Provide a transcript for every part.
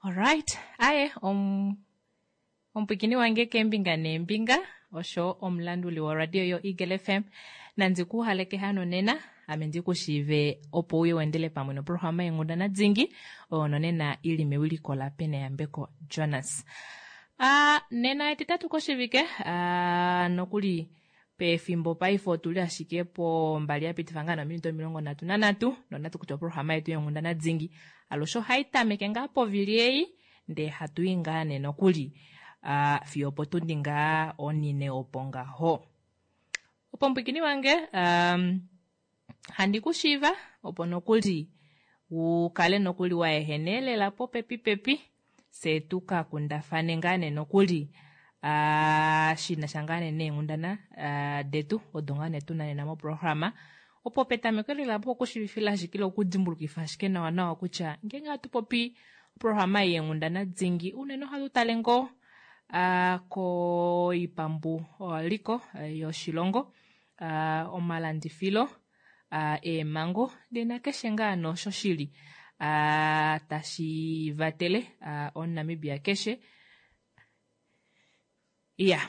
Alright, aye omupwikini wange keembinga neembinga osho omulanduli woradio yo Eagle FM nandi ku haleke hano nena ame ndi ku shiive opo uye wendele pamwe noprograma yenghundana dingi oyo nonena ili mewiliko la Peneyambeko Jonas. Nena etitatu koshivike nokuli pefimbo paife otuli ashike pombali ya pitifa ngaa nominute 33 nonatu kutya oprograma yetu yenghundana dingi alushe ohai tameke ngaa povili ei ndee hatu i ngaa nee nokuli fiyo opotundi ngaa onine opo ngaho. Opo mupwikini wange handi ku shiiva opo nokuli u kale nokuli wa ehene lela popepi pepi fye tu ka kundafane ngaa nee nokuli shina sha ngaa nee neenghundana detu odo ngaa nee tuna nena moprograma. Opo petameko lela opo okushivifila ashike ile okudimbulukifa ashike nawa nawa kutya ngeenge hatu popi oprograma yeenghundana dingi unene ohatu tale ngoo koipambu liko yoshilongo, omalandifilo, eemhango ndee nakeshe ngaa noosho shili tashi vatele omuNamibia keshe. Iya,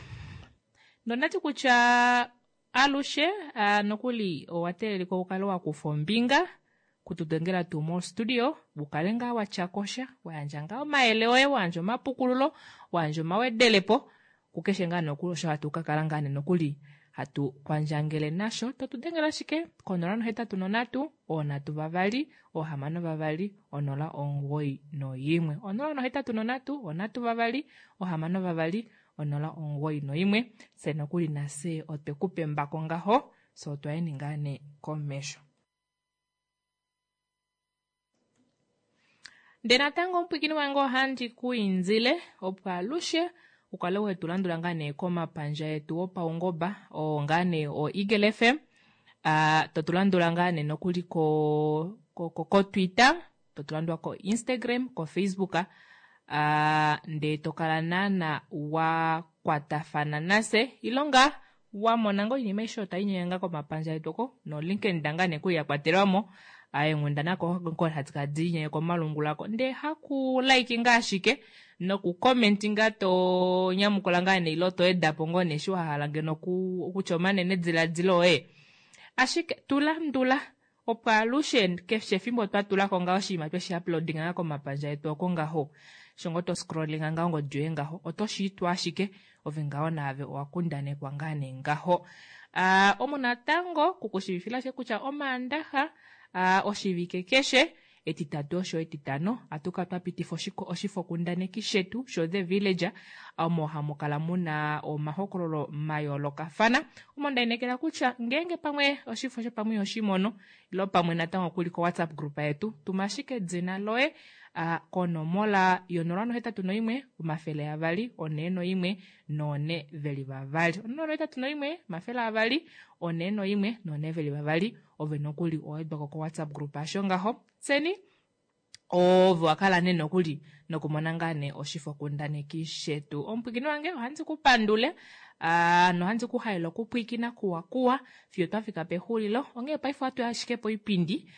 nondati kutya alushe nokuli owa teelelika ukale wa kufa ombinga kutudengela tuu mostudio ukale ngaa watya kosha, wa yandja ngaa omayele oye, wa yandja omapukululo, wa yandja omawedelepo kukeshe ngaa nokuli osho hatu ka kala ngaa nokuli hatu kwandjangele nasho. Totudengela ashike ko 083 326 091 083 326 091 fye nokuli nafye otwe ku pembako ngaho, fye otwa yeni ngaa nee komesho. Ndee natango omupwikini wange ohandi ku indile opo alushe ukale wetu landula ngaa nee komapandja etu opaungoba oo ngaa nee o Eagle FM, totu landula ngaa nee nokuli ko ko Twitter, totu landula ko Instagram, ko Facebook, ndee tokala naana wa kwatafana nafye ilonga wamona ngoo oinima aishe oyo tainyenge ngaa komapandja etu oko no LinkedIn ngaa nee kuli yakwatelwamo eenghundana ko hadi kala diinyenge komalungula ko ndee haku like ngaa ashike noku comment ngaa to nyamukula ngaa nee ile to edapo ngoo nee eshi wahala ngeno okutya omanene diladilo oye, ashike tulandula opo alushe keshe efimbo twatulako ngaa oshinima tweshi uploadinga ngaa komapandja etu oko ngaho sho ngoo to scrollinga ngaho ongodi yoye ngaho oto shiitwa ashike ove ngaho naave owa kundanekwa ngaa nee ngaho. Omu natango kukushivifila ashike kutya omaandaxa oshivike keshe etitatu osho etitano ohatu kala twapitifa oshifokundaneki shetu sho The Village omo hamu kala muna omahokololo mayoolokafana omo ndainekela kutya ngeenge pamwe oshifo shopamwe ihoshimono ilo pamwe natango kuli ko WhatsApp group yetu tuma ashike edina loye konomola yo 081 241 422 081 241 422 ove nokuli owedwako ko WhatsApp group asho ngaho tseni ove wakala nee nokuli nokumona ngaa nee oshifokundaneki shetu. Omupwikini wange ohandi ku pandule nohandi ku halele okupwikina kuwa kuwa fiyo twafika pexulilo. Onghee paife ohatu ashike poipindi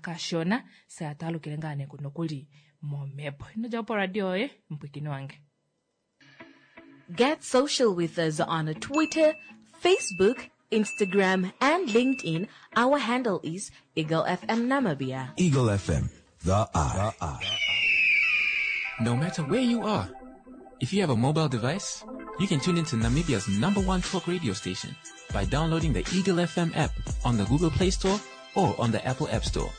kashona fye hatwaalukile ngaa nee nokuli momhepo. Ino djapo poradio yoye mupwikini wange. Get social with us on Twitter, Facebook, Instagram, and LinkedIn. Our handle is Eagle FM Namibia. Eagle FM, the eye. The eye. No matter where you are, if you have a mobile device, you can tune into Namibia's number one talk radio station by downloading the Eagle FM app on the Google Play Store or on the Apple App Store.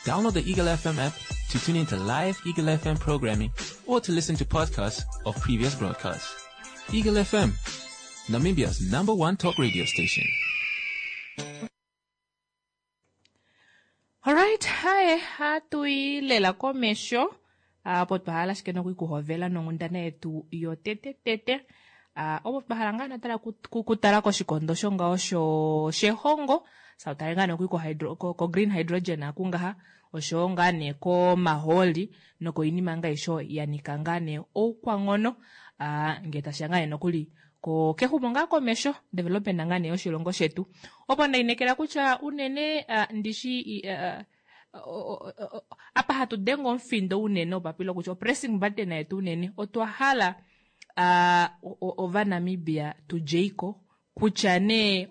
Download the Eagle FM app to tune into live Eagle FM programming or to listen to podcasts of previous broadcasts. Eagle FM, Namibia's number one talk radio station. Alright, haye hatuyi lela komesho apo twahala ashike nokuikuhovela nonghundana yetu yotetetete opo twahala ngaa natala kutala koshikondo shongaho shehongo sautale ngaa nokuli ko green hydrogen akungaha oshowo ngaa nee komahooli nokoinima ngaa aishe ya nika ngaa nee oukwanghono ngee tashiya ngaa nee nokuli kexumo ngaa komesho development ngaa nee yoshilongo shetu. Opo ndainekela kutya unene ndishi. Apa hatu denge omufindo unene opapilo kutya opressing button yetu unene otwa hala Ovanamibia tudjeiko kutya nee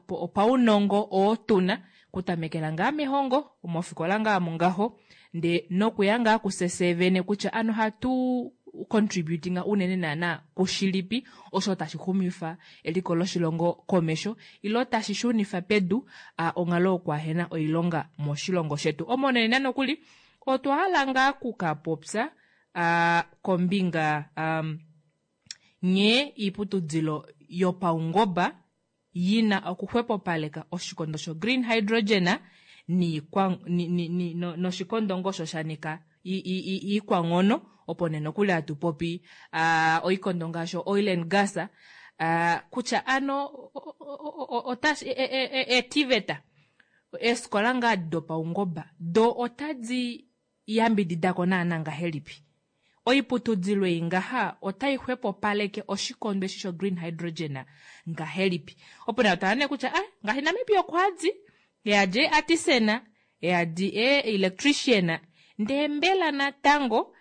opaunongo oo tuna kutamekela ngaa mehongo mofikola ngaa mungaho ndee nokuya ngaa kusese vene kutya ano hatu contributing unene naana kushilipi osho tashi xumifa eliko loshilongo komesho ilo tashi shunifa pedu onghalo yokuahena oilonga moshilongo shetu. Omonene nokuli otwa hala ngaa kukapopya kombinga nghee iiputudilo yopaungomba yina okuxwepopaleka oshikondo sho green hydrogen noshikondo ngoo osho shanika iikwanghono opo nee nokuli hatu popi oikondo ngaashi oil and gas kutya ano etiveta eefikola ngaa dopaungomba do otadi yambididako naana ngahelipi. Oiputudilo ei ngaha otai xwepopaleke oshikondo eshi sho green hydrogen ngahelipi. Opo nee otala nee kutya ngaashi Namibia okwadi yadi artisan yadi electrician ndee mbela natango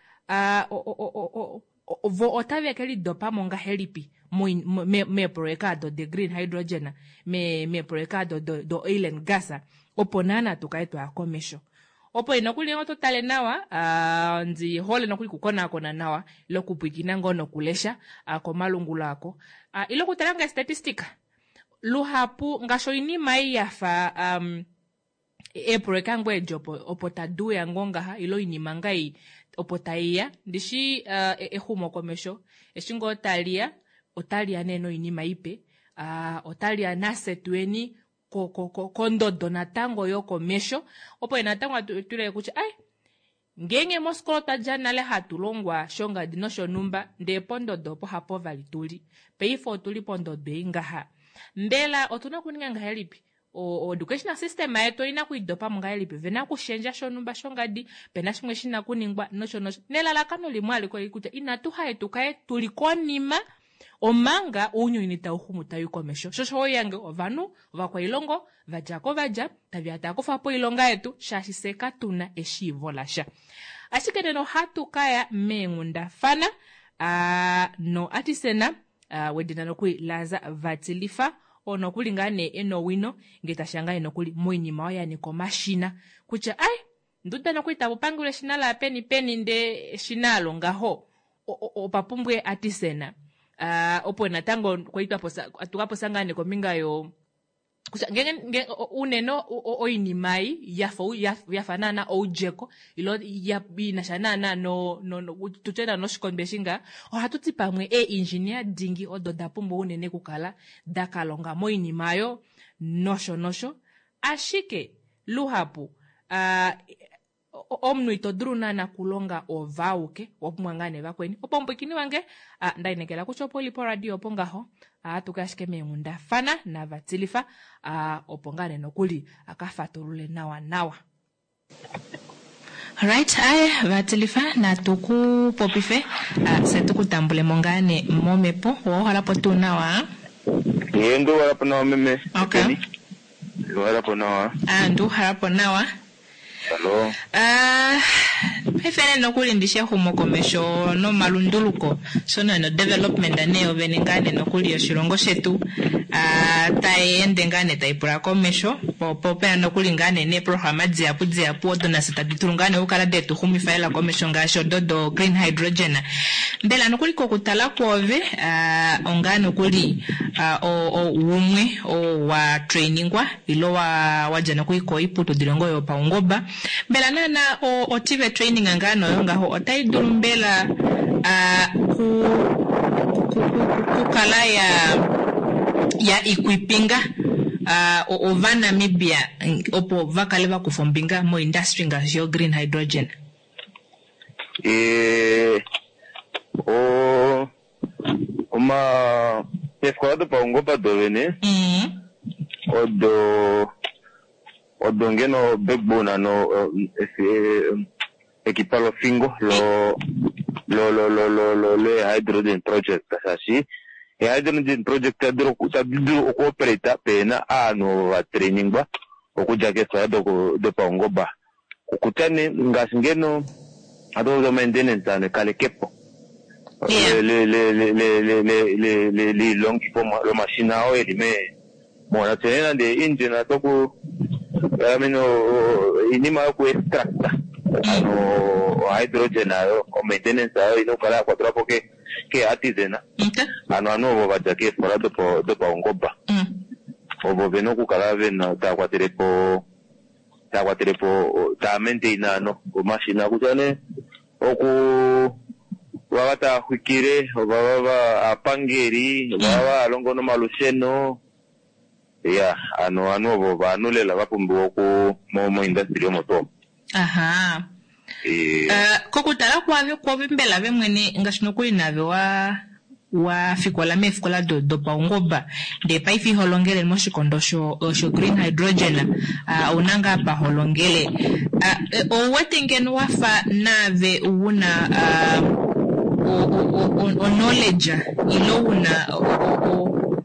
vo otave ke lidopamo ngahelipi meeprojeka ado de green hydrogen meeprojeka ado do oil and gas opo naana tukale twaya komesho. Opo nokuli oto tale nawa ndi hole nokuli kukonakona nawa ile okupwiikina ngoo nokulesha komalungula ako ile okutala ngaa statistic luhapu ngaashi oinima ei yafa eeprojeka ngoo edi opo taduuya ngoo ngaha ile oinima ngaa ei opo taiya ndishi exumokomesho eshi ngoo taliya otaliya nee noinima ipe otaliya nafye tuyeni kondodo natango yokomesho opo natango tuleke kutya ai ngeenge mofikola otwadja nale hatu longwa shongadi noshonhumba ndee pondodo opo hapo vali tuli paife otuli pondodo ei ngaha mbela otuna okuninga ngahelipi educational system yetu oina kuidopamo ngahelipi vena okushendja shonhumba shongadi pena shimwe shina kuningwa nosho nosho nelalakano limwe alike oli kutya inatu haye tukale tuli konima omanga ounyuni tauxumu tau komesho shosho oyange ovanhu ovakwailongo vadjako vadja taveya taakufapo oilonga yetu shaashi fye katuna eshiivo lasha. Ashike nena ohatu kaya meenghundafana no artisan wedina nokuli Laza Vatilifa oo nokuli ngaa nee ena owino ngee tashiya ngaa nee nokuli moinima oyo yanika omashina kutya ai nduda nokuli tapupangelwa eshina laya peni peni ndee eshina alo ngaho opa pumbwa artisan opo natango kwali tukapopya ngaa nee kombinga yo kutya ngeenge unene oinima ei yafa naana oudjeko ilo inasha naana tutye naana noshikondo eshi ngaa ohatu ti pamwe ee-engineer dingi odo da pumbwa unene okukala dakalonga moinima oyo nosho nosho ashike luhapu omunhu ito dulu naana okulonga ove auke owapumbwa ngaa nee vakweni opo omupwiikini wange ndainekela kutya opo uli poradio opo ngaho ohatuka ashike meenghundafana naVatilifa opo ngaa nee nokuli akafatulule nawa nawa. Right, aye Vatilifa natu ku popife fye tukutambulemo ngaa nee momhepo wauhalapo tuu nawa? Ee, ndiuhalapo nawa meme. Okay. Ndiuhalapo nawa. Ndiuhalapo nawa. Hello. Paife nee nokuli ndishi exumokomesho nomalunduluko sho nee no development nee yovene ngaa nee nokuli yoshilongo shetu tai ende ngaa nee taipula komesho po opena nokuli ngaa nee neeprograma dihapu dihapu odo nafye tadi dulu ngaa nee okukala detu xumifa lela komesho ngaashi odo do green hydrogen. Mbela nokuli kokutala kwoove ongaa nokuli umwe oo wa trainingwa ilo wadja nokuli koiputudilo ngoo yopaungoba mbela naana oTVET training ngaa noyo ngaho otai dulu mbela kukala ya equipinga Ovanamibia opo vakale vakufa ombinga moindustry ngaashi yo green hydrogen? Eefikola dopaungoba dovene odo ngeno backbone no ekipa lofingo lo hydrogen project shaashi hydrogen project tadi dulu okuoperate pena ovanhu ovo vatrainingwa okudja keefikola dopaungoba. Okutya nee ngaashi ngeno hatu popi o-maintenance ano ekalekepo Yeah. liilongifomwa lomashina oo eli me mona tse nande engine toku I mean, iinima yoku extracta ano o hydrogen ayo o-maintenance ayo ina okukala ya kwatelwa po ke ke artisan ano ovanhu ovo va dja keefikola dopaungomba ovo vena okukala vena tava kwatele po tava kwatele po tava maintain ano omashina kutya nee oku vava tava xwikile ovava aapangeli ovava hava longo nomalusheno ya ano ovanhu ovo ovanhu lela va pumbiwa oku mo industry omo tuu Aha. Kokutala kwave kwove mbela ve mwene ngaashi nokuli nave wa wa fikola meefikola dopaungomba ndee paife iho longele moshikondo sho sho green hydrogen ouna ngaa pa ho longele ou wete ngeno wafa naave una o knowledge ile una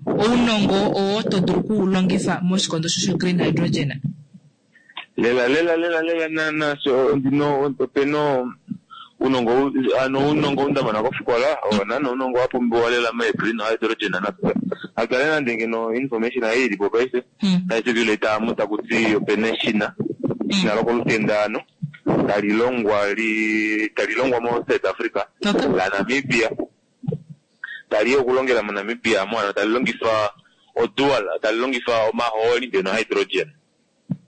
ounongo oo to dulu okuulongifa moshikondo sho green hydrogen? Lela lela lela lela naana so ndino opena uunongo ano uunongo ou ndamona kofikola owo naana uunongo wa pumbiwa lela me green hydrogen akale nande ngeno information ayi ilipo paife tai circulate amu takuti opena eshina eshina lokolutenda ano tali longwa li tali longwa mo South Africa la Namibia tali okulongela mo Namibia mo ano tali longifa o dual tali longifa omahooli ndeno hydrogen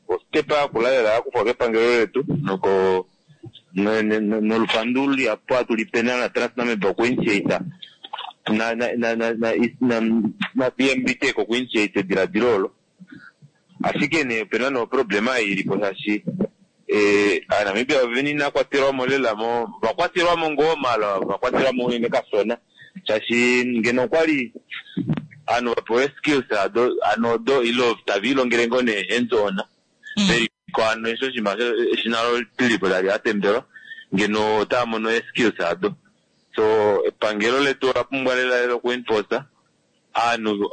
ostepa yakula lela yakufwa kepangelo letu noko nolupandu lihapu hatu lipe na TransNamib okuinitiate na na na na na na na BMB Tech okuinitiate ediladilo olo ashike nee opena no problema ilipo shaashi Aanamibia ovene ina kwatelwamo lela mo vakwatelwamo ngoo maala vakwatelwamo unene kashona shaashi ngeno okwali ovanhu vapewa skills ado ano odo ile tava ilongele ngoo nee hands on veliko ano eshi oshinima eshina lilipo tali atembelwa ngeno otava mono skills ado so epangelo letu ola pumbwa lela lela oku enforce aanhu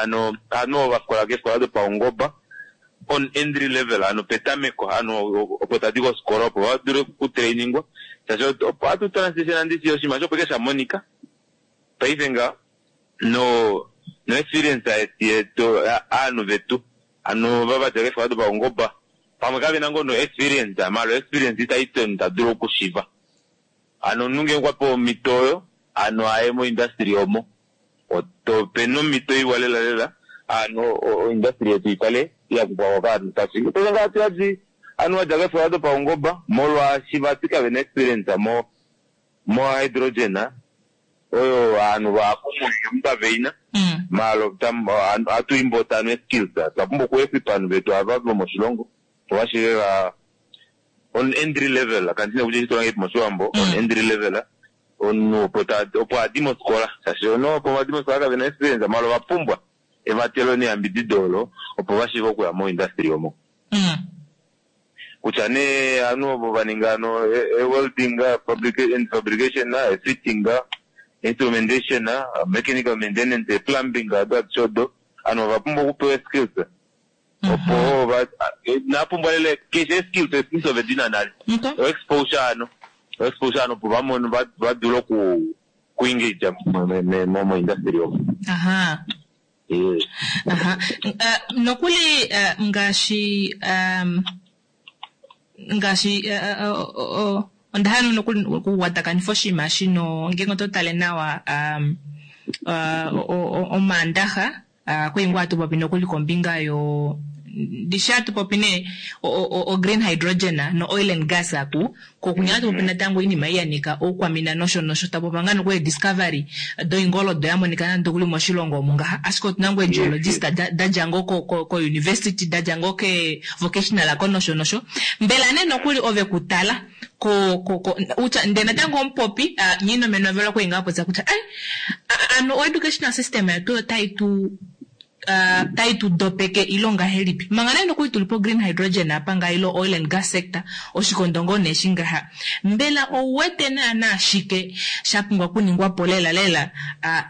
ano aanhu ovo vafikola keefikola dopaungomba on entry level ano petameko ano opo tadi kofikola opo vadule okutrainingwa shaashi opo hatu transition ndishi oshinima osho opo ike shamonika paife nga no no experience yetu aanhu vetu ano vavadja keefikola dopaungomba pamwe kavena ngoo no experience maala experience itaiti omunhu tadulu okushiva ano omunhu ngenge okwa pewa omhito oyo ano aye mo industry omo opena omhito iwa lela lela ano o industry yetu ikale yakufwako kovanhu shaashi paife ngaha tuyadi ovanhu vadja keefikola dopaungomba molwaashi vati kavena experience mo mo hydrogen oyo ovanhu vahapu mounyuni kaveina maala ohatu import ano skills otwa pumbwa oku equip ovanhu vetu ava vomoshilongo opo vashiive va on entry level kandina kutya oshitula ngahelipi moshiwambo on entry level omunhu opo opo adi mofikola shaashi omunhu opo vadi mofikola kavena experience maala ova pumbwa evatelo neyambidido olo opo vashiive okuya mo industry omo kutya nee ovanhu ovo vaninga ano welding and fabrication, fitting, instrumentation, mechanical maintenance, plumbing ado adishe odo ovanhu ova pumbwa okupewa skills opo inapumbwa lela keshe skills skills ove dina nale o exposure ano o exposure ano opo vamone vadule oku ku engage mo industry omo. Aha. Aha. Nokuli ngaashi ngaashi onda hala nokuli okukwatakanitha oshinima shino ngenge oto tale nawa omaandaxa kwali ngoo hatu popi nokuli kombinga yo ndishi hatu popi nee o green hydrogen no oil and gas aku kokunya hatu popi natango oinima ei yanika oukwamina nosho nosho tapopa ngaa nokuli discovery doingoldo yamonika nande okuli moshilongo omu ngaha ashike otuna ngoo geologist dadja ngoo ko university dadja ngoo ke vocational ako nosho nosho mbela nee nokuli ove kutala ko ko ko utya ndee natango omupopi nyiinomeno vela kwali ngaa popya kutya ai ano o educational system yetu otai tu. Tai tu dopeke ile ongahelipi? Manga nee nokuli tuli po green hydrogen apa ngaha ile oil and gas sector, oshikondo ngoo nee eshi ngaha. Mbela ou wete naana shike sha pumbwa okuningwa po lela lela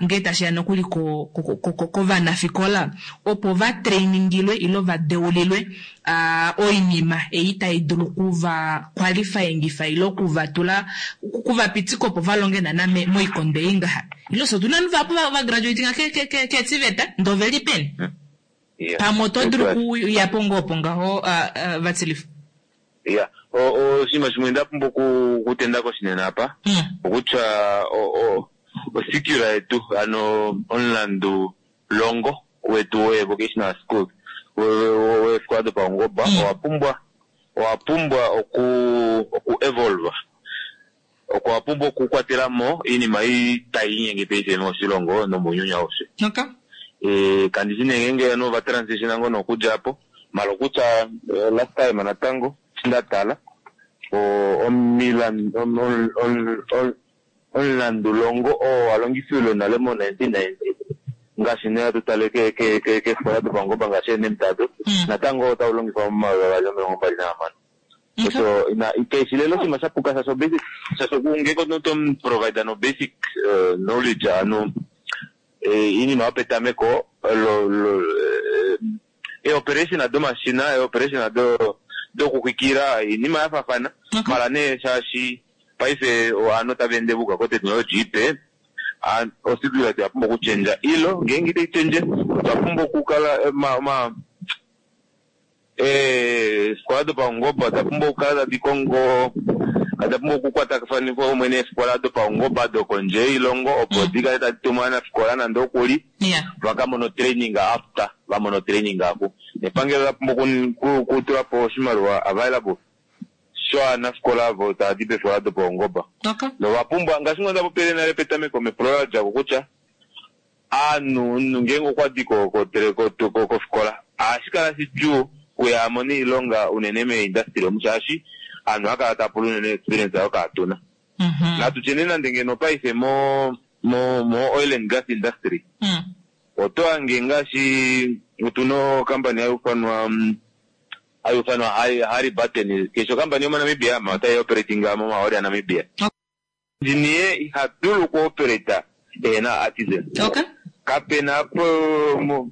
ngee tashi ya nokuli ko, ko, ko, ko, kovanafikola opo va trainingilwe ile va deulilwe oinima ei tai dulu oku va qualifyingifa ile oku va tula, oku va pitika opo va longe naana moikondo ei ngaha? Ile ofye otuna ovanhu vahapu va graduatinga keeTVET ndee oveli peni? Pamwe oto dulu okuya po ngoo opo ngaho Vatilifa? Ya, oshinima shimwe nda pumbwa okutenda koshinena apa, okutya osikula yetu, ano omulandu longo wetu wee-vocational schools, weefikola dopaungoba, owa pumbwa, owa pumbwa oku, oku evolve. Okwa pumbwa okukwatela mo oinima ei tai linyenge paife moshilongo nomounyuni aushe. Okay. E, kandi shi nee ngeenge ovanhu ova transitiona ngoo nokudja apo, mala okutya last time natango eshi nda tala omulandulongo oo wa longifilwe nale mo 1990 ngaashi nee hatu tale keefikola dopaungoba ngaashi eenemtado, natango otau longifwa momayovi avali nomilongo mbali nahamano. So ina keshi lela oshinima sha puka shaashi basic shaashi ngenge omunhu oto mu provide no basic knowledge ano iinima yopetameko lo lo eeoperation domashina eeoperation do dokuxwikila iinima ya faafana mala nee shaashi paife ovanhu otava ende vuka ko technology ipe osikuila oya pumbwa okuchendja ilo ngeenge itai chendje otwa pumbwa okukala ma Eefikola dopaungoba oda pumbwa okukala tadi kongo, oda pumbwa okukwatakanifwa kumwe neefikola dopaungoba dokondje yoilongo opo di kale tadi tumu ovanafikola nande okuli va ka mone otraining after va mona otraining aku. Nepangelo ola pumbwa okutula po oshimaliwa available shovanafikola ovo tava di peefikola dopaungoba. Nova pumbwa, ngaashi ngoo nda popile nale petameko mepulo la dja ko kutya, Aanhu, omunhu ngeenge okwa di ko, ko, ko, ko, kofikola, ohashi kala shidjuu kuye a mone oilonga unene meeindastry omu shaashi aanhu ohava kala tava pula unene experience oyo kaatuna. Natu tye nee nande ngeno paife mo, mo, mo oil and gas industry, oto hange ngaashi otuna ocompany hayi ufanwa, hayi ufanwa Halliburton, keshe ocompany yomoNamibia ama otayi operating momahooli aNamibia. Engineer iha dulu oku operate ehena artisan. Okay. Kapena apo mo,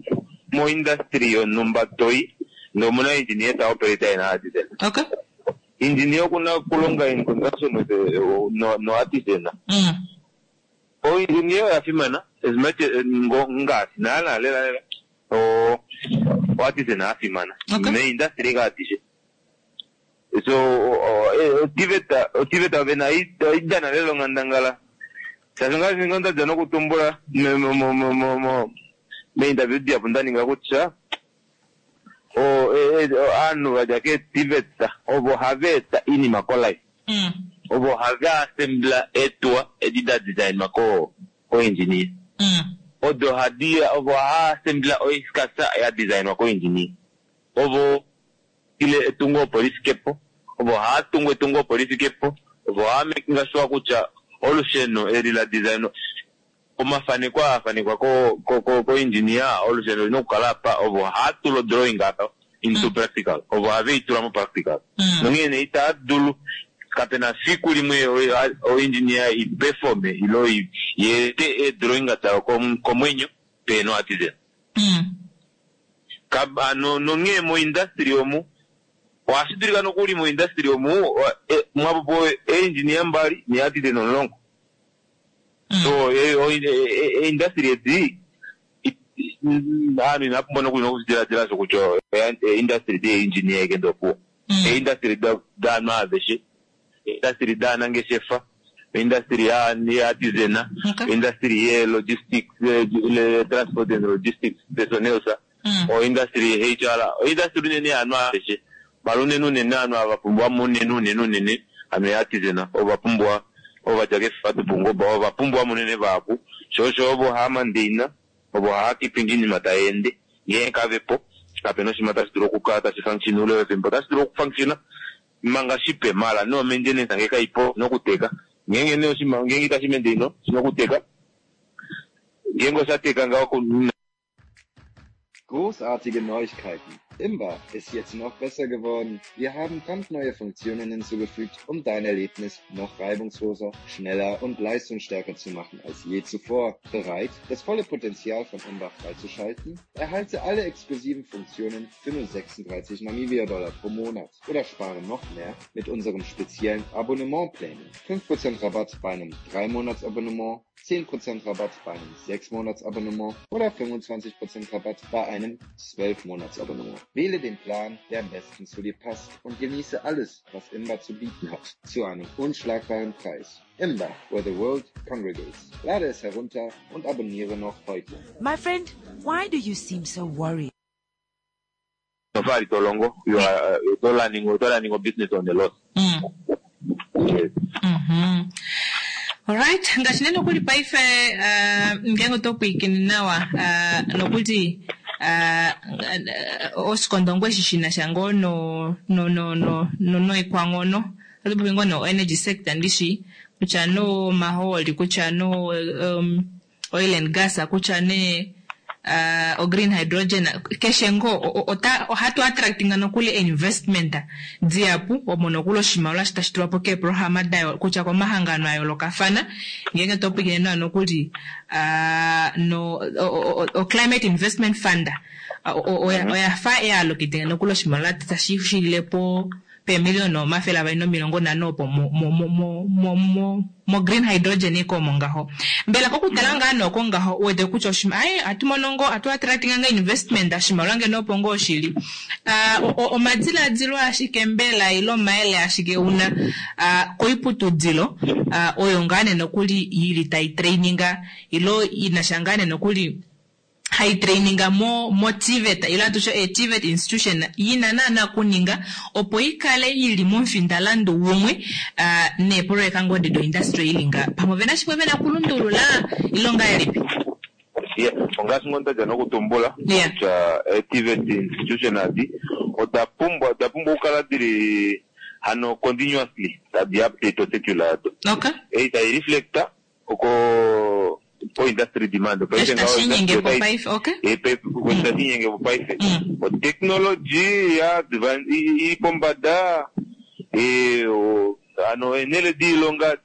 mo industry yonhumba toyi ndee omuna engineer ta operate ehena artisan. Okay. Engineer okuna okulonga in conjunction with no, no artisan. O engineer oya fimana as much as, ngo, ngaashi naana lela lela o, o artisan afimana. Okay. Me industry ngaa adishe. So oTVET oTVET vena oidana lela onghandangala shaashi ngaashi ngoo nda dja nokutumbula meinterview dihapu nda ninga kutya ovanhu va dja keeTVET ovo hava eta oinima kolife ovo hava assembla eetuwa edi da designwa ko engineer odo hadi ovo hava assembla oiskasa ya designwa ko engineer ovo ile etungo opo li fike po, ovo haa tungu etungo opo li fike po, ovo haa makinga sure kutya olusheno eli la designwa, omafaneko aa a fanekwa ko, ko, ko, ko engineer, olusheno olina okukala apa, ovo haa tula o drawing apa into practical, ovo have i tula mo practical. Nonghee nee itaa dulu, kape na fiku limwe o, o engineer i performe ilo i, i ete ee drawing dayo komwenyo pehena o artisan. Ka, ano, nonghee moindastri omu, ohashi dulika nokuli moindastri omu e, mwa popiwa eeindjinia mbali neeartisan omulongo. So, e, o, e, e, eindastri edi, ovanhu inava pumbwa nokuli nokudiladila osho kutya eindastri deeindjinia eke ndopuwo. Eindastri daanhu aveshe. Oindastri daanangeshefa, oindastri yeeartisan, oindastri yeelogistics, transport and logistics personnels, oindastri yeHR, oindastri unene yaanhu aveshe. Mala unene unene ovanhu ava va pumbiwa mo unene unene unene hano eeartisan ovo va pumbiwa, ovo va dja keefikola dopaungoba ovo va pumbiwa mo unene vahapu, sho osho ovo hava mandaina, ovo hava keeping oinima tai ende. Ngeenge kave po, kape na oshinima tashi dulu okukala tashi function oule wefimbo. Otashi dulu okufunctiona Manga shipe, mala no maintenance nge kaipo oshina okuteka. Ngeenge nee oshinima ngeenge itashi maintain oshina okuteka. Ngeenge osha teka ngaho. Großartige Neuigkeiten. Imba ist jetzt noch besser geworden. Wir haben brandneue Funktionen hinzugefügt, um dein Erlebnis noch reibungsloser, schneller und leistungsstärker zu machen als je zuvor. Bereit, das volle Potenzial von Imba freizuschalten? Erhalte alle exklusiven Funktionen für nur 36 Namibia-Dollar pro Monat oder spare noch mehr mit unserem speziellen Abonnementplänen. 5% Rabatt bei einem 3-Monats-Abonnement, 10% Rabatt bei einem 6-Monats-Abonnement oder 25% Rabatt bei einem 12-Monats-Abonnement. Wähle den Plan, der am besten zu dir passt und genieße alles, was Imba zu bieten hat, zu einem unschlagbaren Preis. Imba, where the world congregates. Lade es herunter und abonniere noch heute. My friend, why do you seem so worried? Nofali to longo, you are, oto running, oto running a business on a loss. Yes. Alright, ngaashi nee nokuli paife ngeenge oto pwiikine nawa nokuli oshikondo ngoo eshi shinasha ngoo no no no no noikwanghono ohatu popi ngoo no energy sector ndishi kutya nee omahooli kutya nee oil and gas kutya nee o green hydrogen keshe ngoo ota ohatu attractinga nokuli investment dihapu omo nokuli oshimaliwa eshi tashi tulwapo keeprograma da kutya komahangano a yoolokafana ngeenge to pwiikine nawa nokuli no o climate investment fund oya fa yaallocatinga nokuli oshimaliwa tashi shililepo peemiliona 250 opo mo green hydrogen iko omo ngaho. Mbela kokutala ngaa nooko ngaho uwete kutya ai ohatu mono ngoo ohatu attractinga ngoo investment oshimaliwa ngeno opo ngoo shili. Omadiladilo ashike mbela ile omayele ashike una koiputudilo oyo ngaa nee nokuli ili tai traininga ilo inasha ngaa nee nokuli hai traininga mo mo TVET ile atushe e TVET institution yina naana kuninga opo ikale ili momufindalandu umwe neeprojeka ngoo do industry ili nga pamwe vena shimwe vena kulundulula ile ongahelipi? Yeah, ongaashi ngoo ndaja nokutumbula kutya TVET institution adi oda pumbwa okukala dili hano continuously tadi update ocircular yado. Ei tai reflecta oko po industry demand. Eshi tashi inyenge po paife, okay. Tashi inyenge po paife. O technology ya ili pombada ano enele diilonga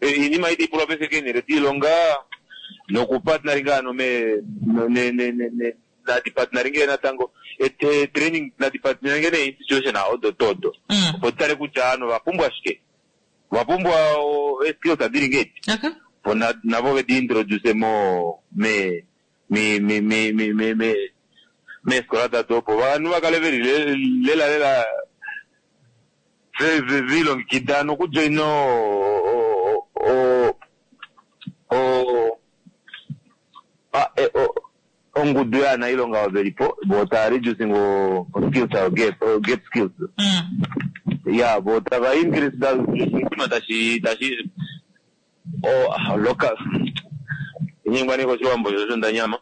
iinima iti pulwa paife keenele diilonga nokupartneringa ano me ne nadipartneringe natango training nadipartneringe ne institution odo todo. Opo tutale kutya ano vapumbwa shike, vapumbwa skills adili ngeti. Opo navo vedi introduce mo me mi mi mi mi mi me meesikola dado opo vanhu vakale veli lela lela vilongekida nokujoina ongudu yaanailonga oyo velipo vo tava reducing o skills gap, gap skills. Ya, vo tava increase tashi tashi o local inyengwa neko Oshiwambo shosho ndanyama.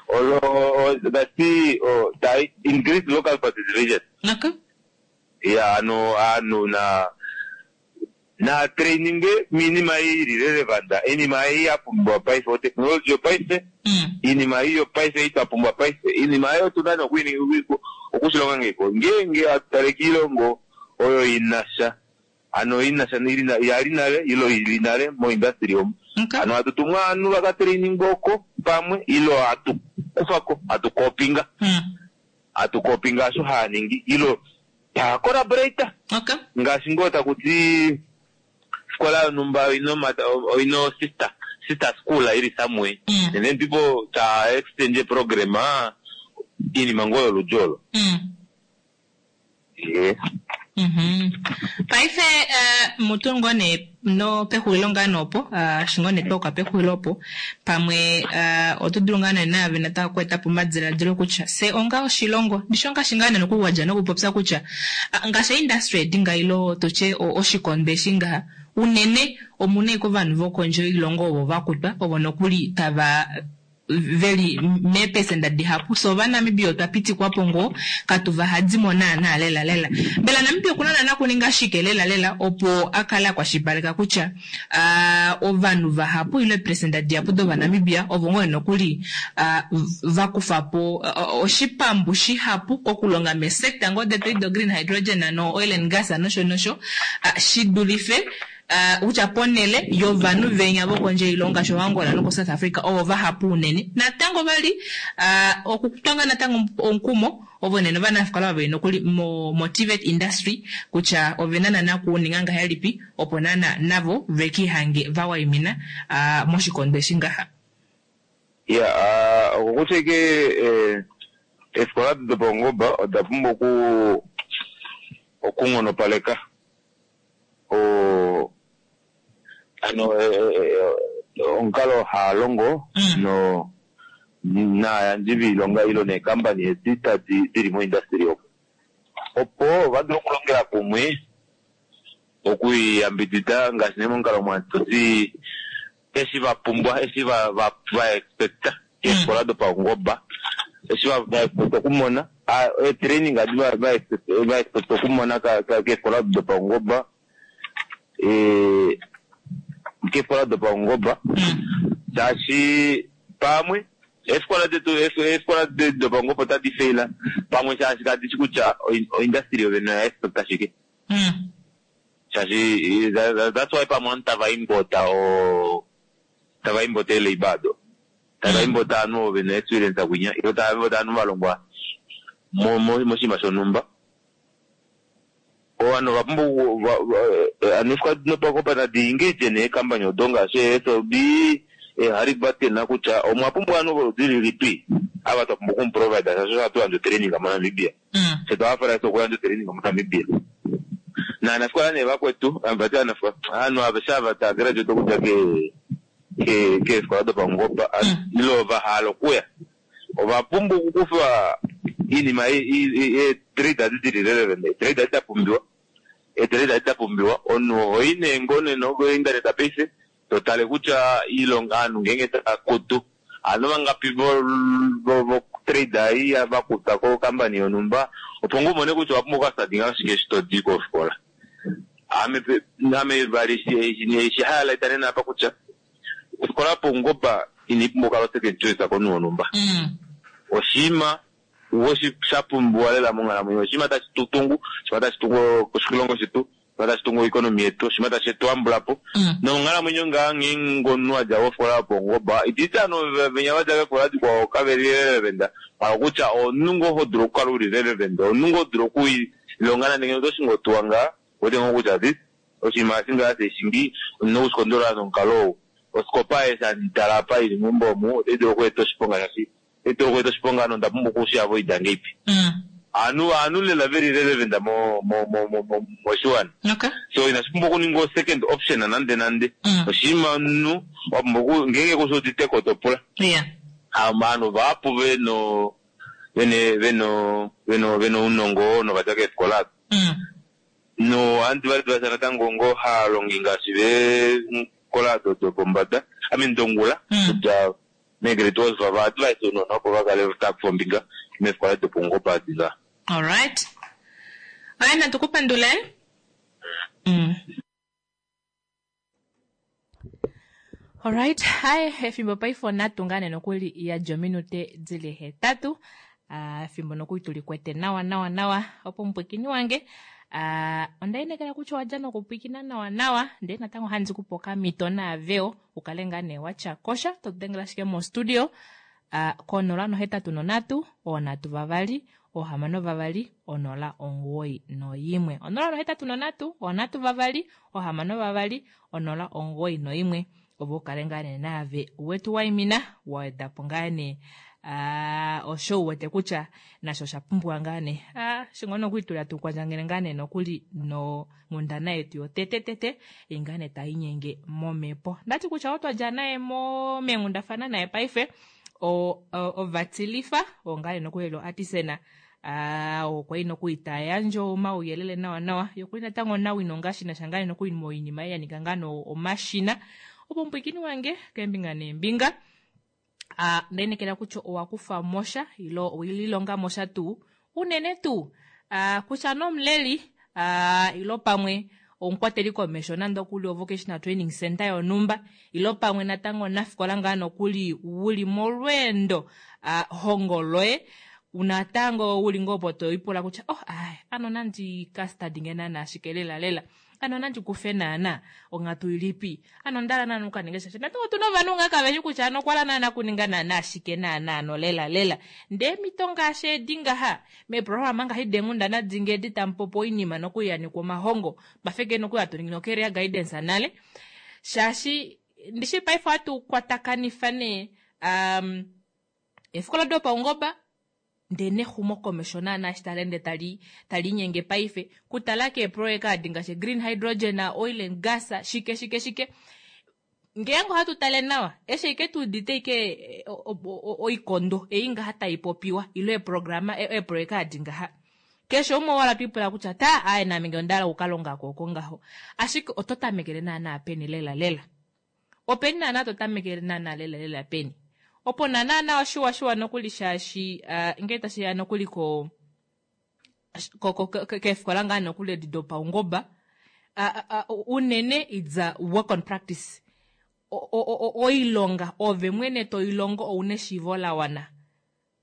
Olo tati ta increase local participation. Ya, ano ano na na training minima ili relevant iinima ei ya pumbiwa paife o technology yopaife iinima ei yopaife itwa paife iinima eyo tuna okushilonga ngeko ngeenge atutale kiilongo oyo inasha ano inasha yali nale ilo ili nale mo industry omu ano atutumwa ovanhu vaka training oko pamwe ilo atu kufako atukopinga atukopinga asho haaningi ilo taa collaborate ngaashi ngoo takuti sikola yonumba oino sister school ili somewhere and then people ta exchange program iinima ngoo yoludhi olo. Yeah. Paife mutu ngoo nee no pexulilo ngaa noopo shi ngoo nee twauka pexulilo opo pamwe oto dulu ngaa nee naave natango okweetapo omadiladilo kutya fye onga oshilongo ndishi ongaashi ngaa nee nokuli wadja nokupopya kutya ngaashi industry edi nga ilo tutye oshikondo eshi ngaha unene omuna ashike ovanhu vokondje yoilongo ovo vakutwa ovo nokuli tava veli meepesenda dihapu fye ovanamibia otwa pitikwapo ngoo katu vahadimo naana lela lela mbela Namibia okuna naana okuninga shike lela lela opo akale akwashilipaleka kutya uh, ovanhu vahapu ile eepresenda dihapu dovanamibia ovo ngoo nokuli uh, vakufa po uh, oshipambu shihapu kokulonga meesector ngoo detu do green hydrogen no oil and gas nosho nosho uh, shidulife uh, kutya ponele yovanhu venya vokondje yoilonga sho Angola noko South Africa ovo vahapu unene natango vali uh, okutwanga natango omukumo ovo nene ovanafikola vaveli nokuli mo, mo TVET industry kutya ovena nana kuninga ngahelipi opo nana navo vekihange vawaimina uh, moshikondo eshi ngaha. Ya, okokutya ike eefikola dopaungoba oda pumbwa oku okunghonopaleka o ano omukalo haa longo no naayandji viilonga ilo neekambani edi tadi dili moindustry omo opo vadule okulongela kumwe okuyambidida ngaashi nee momukalo mwatoti eshi vapumbwa eshi va va va expecta keefikola dopaungoba eshi va va expecta okumona eetraining adi va va expect va expecta okumona keefikola dopaungoba keefikola dopaungoba shaashi pamwe eefikola detu eefikola dopaungoba otadi faila pamwe shaashi kadishi kutya oindustry yovene oya expecta shike shaashi that's why pamwe ovanhu tava import o tava import eelabor ado tava import ovanhu ovo vena experience kwinya ilo tava import ovanhu valongwa moshinima shonhumba ovanhu ovapumbwa ano eefikola dopaungoba nadi engage neekambani odo ngaashi eeSLB eeHalliburton kutya omwa pumbwa ovanhu voludi lilipi ava twa pumbwa okumuprovide shaashi ohatu yandje otraining moNamibia fye twahafela eshi okuyandja otraining moNamibia naanafikola nee vakwetu vati aanafikola ovanhu aveshe ava tava graduate okudja keefikola dopaungoba ile vahala okuya ovapumbwa okukufa iinima eetrade adi dili relevant eetrade adi dapumbiwa eetrade adi dapumbiwa omunhu ohoyi nee ngoo nena kointernet paife totale kutya iilonga ovanhu ngeenge tava kutu ovanhu vangapi votrade ei vakutwa kokambani yonhumba opo ngoo umone kutya owapumbwa okukastadinga shike eshi todi kofikola ame ame vali eshi highlight nena apa kutya ofikola yopaungoba ina ipumbwa okukala second choice komunhu wonhumba oshinima shapumbiwa lela monghalamwenyo oshinima tashi tutungu oshinima tashi tungu oshilongo shetu oshinima tashi tungu oeconomy yetu oshinima tashi tuambulapo nomonghalamwenyo ngaa ngeenge omunhu adja kofikola yopaungoba ititi ovanhu venya vadja keefikola dikwao kaveli relevant hala kutya omunhu ngoo hodulu okukala uli relevant omunhu ngoo hodulu okwiilonga nande ngeno otoshingi otuwa ngaa ouwete ngoo kutya this oshinima eshi ngaa teshingi ondina okushikondolola nomukalo ou osikopa eshi handi tala apa ili meumbo omu otai dulu okweeta oshiponga shaashi otai dulu okweeta oshiponga nonda pumbwa okushiavoida ngeipi ovanhu ovanhu lela veli relevant mo mo mo mo moshiwana so inashi pumbwa okuninga second option nande nande oshinima omunhu wapumbwa ngeenge kushi uditeko topula ovanhu vahapu veno vene veno veno vena ounongo novadja keefikola no ohandi va natango ngoo haalongi ngaashi veefikola ado dopombada I mean dongula kutya meegrade 12 va advise ounona opo vakale tava kufa ombinga meefikola dopaungoba adi nga. Alright. Alright, natu ku pandule. Alright, hai efimbo paife onatu ngaa nee nokuli yadja ominute dili 8. Efimbo nokuli tuli kwete nawa nawa nawa opo mupwikini wange onda inekela kutya owadja nokupwikina nawa nawa ndee natango handi kupe okamito naaveo ukale ngaa nee watya kosha totudengela ashike mostudio ko083 3 6 2 091 083 3 6 2 091 opo ukale ngaa nee naave wetu waimina wawedapo ngaa nee osho uwete kutya nasho osha pumbiwa ngaa nee shingo nokuitula tuu kwandjangele ngaa nee nokuli nonghundana yetu yotetetete ei ngaa nee tainyenge momhepo ndati kutya otwa dja naye meenghundafana naye paife ovatilifa oo ngaa nee nokuli lo artisan okwa nokuli tayandje omauyelele nawa nawa yokuli natango nawino ngaashi nasha ngaa nee nokuli moinima ei yanika ngaa omashina opo mupwikini wange keembinga neembinga. Ndeenekela kutya owa kufa mosha ilo owelilonga mosha tuu unene tuu kutya nomuleli ilo pamwe omukwateli komesho nande okuli o-vocational training center yonhumba ilo pamwe natango omunafikola ngaa nokuli wuli molweendo hongo loye natango uli ngoo opo toipula kutya oh ai ano nandi ka study nge naana ashike lela lela ano nandi kufe naana onghatu ilipi ano onda hala naana okukaninga shaashi natango otuna ovanhu ngaa kaveshi kutya ano okwa hala naana okuninga naana ashike naana ano lela lela ndee emhito ngaashi edi ngaha meeprograma ngaashi deenghundana dinge edi tamupopi oinima nokuyanikwa omahongo twafeke nokuli hatu ningi no-career guidance nale shaashi ndishi paife ohatu kwatakanifa nee eefikola dopaungoba ndee nexumokomesho naana eshi tali ende tali taliinyenge paife kutala keeproyeka adi ngaashi green hydrogen, oil and gas shike shike shike ngeenge ohatu tale nawa eshi ike tuudite ike oikondo ei ngaha taipopiwa ile eeprograma eeproyeka adi ngaha keshe umwe wala twipula kutya ta aye naame ngee onda hala okukalongako oko ngaho ashike oto tamekele naana peni lela lela openi naana to tamekele naana lela lela peni opo naana oshiwa shiwa nokuli shaashi ngee tashiya nokuli ko keefikola ngaa nokuli edi dopaungoba unene it's a work on practice oilonga ove mwene toilongo ouna eshiivo la wana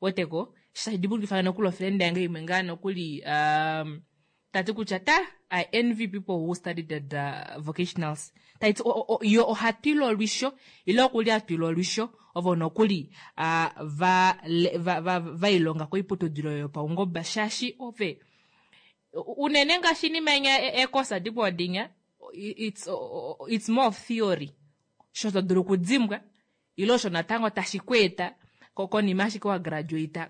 weteko tashi dimbulukifa nokuli ofriend yange imwe ngaa nokuli tati kutya ta I envy people who studied at the vocationals taiti yo ohatwile olwisho ile okuli atwile olwisho ovo nokuli vailonga koiputudilo yopaungoba shaashi ove unene ngaashi inima inya ekosa dikwao dinya it's more of theory sho to dulu okudimbwa ile osho natango tashi ku eta konima ashike wa graduate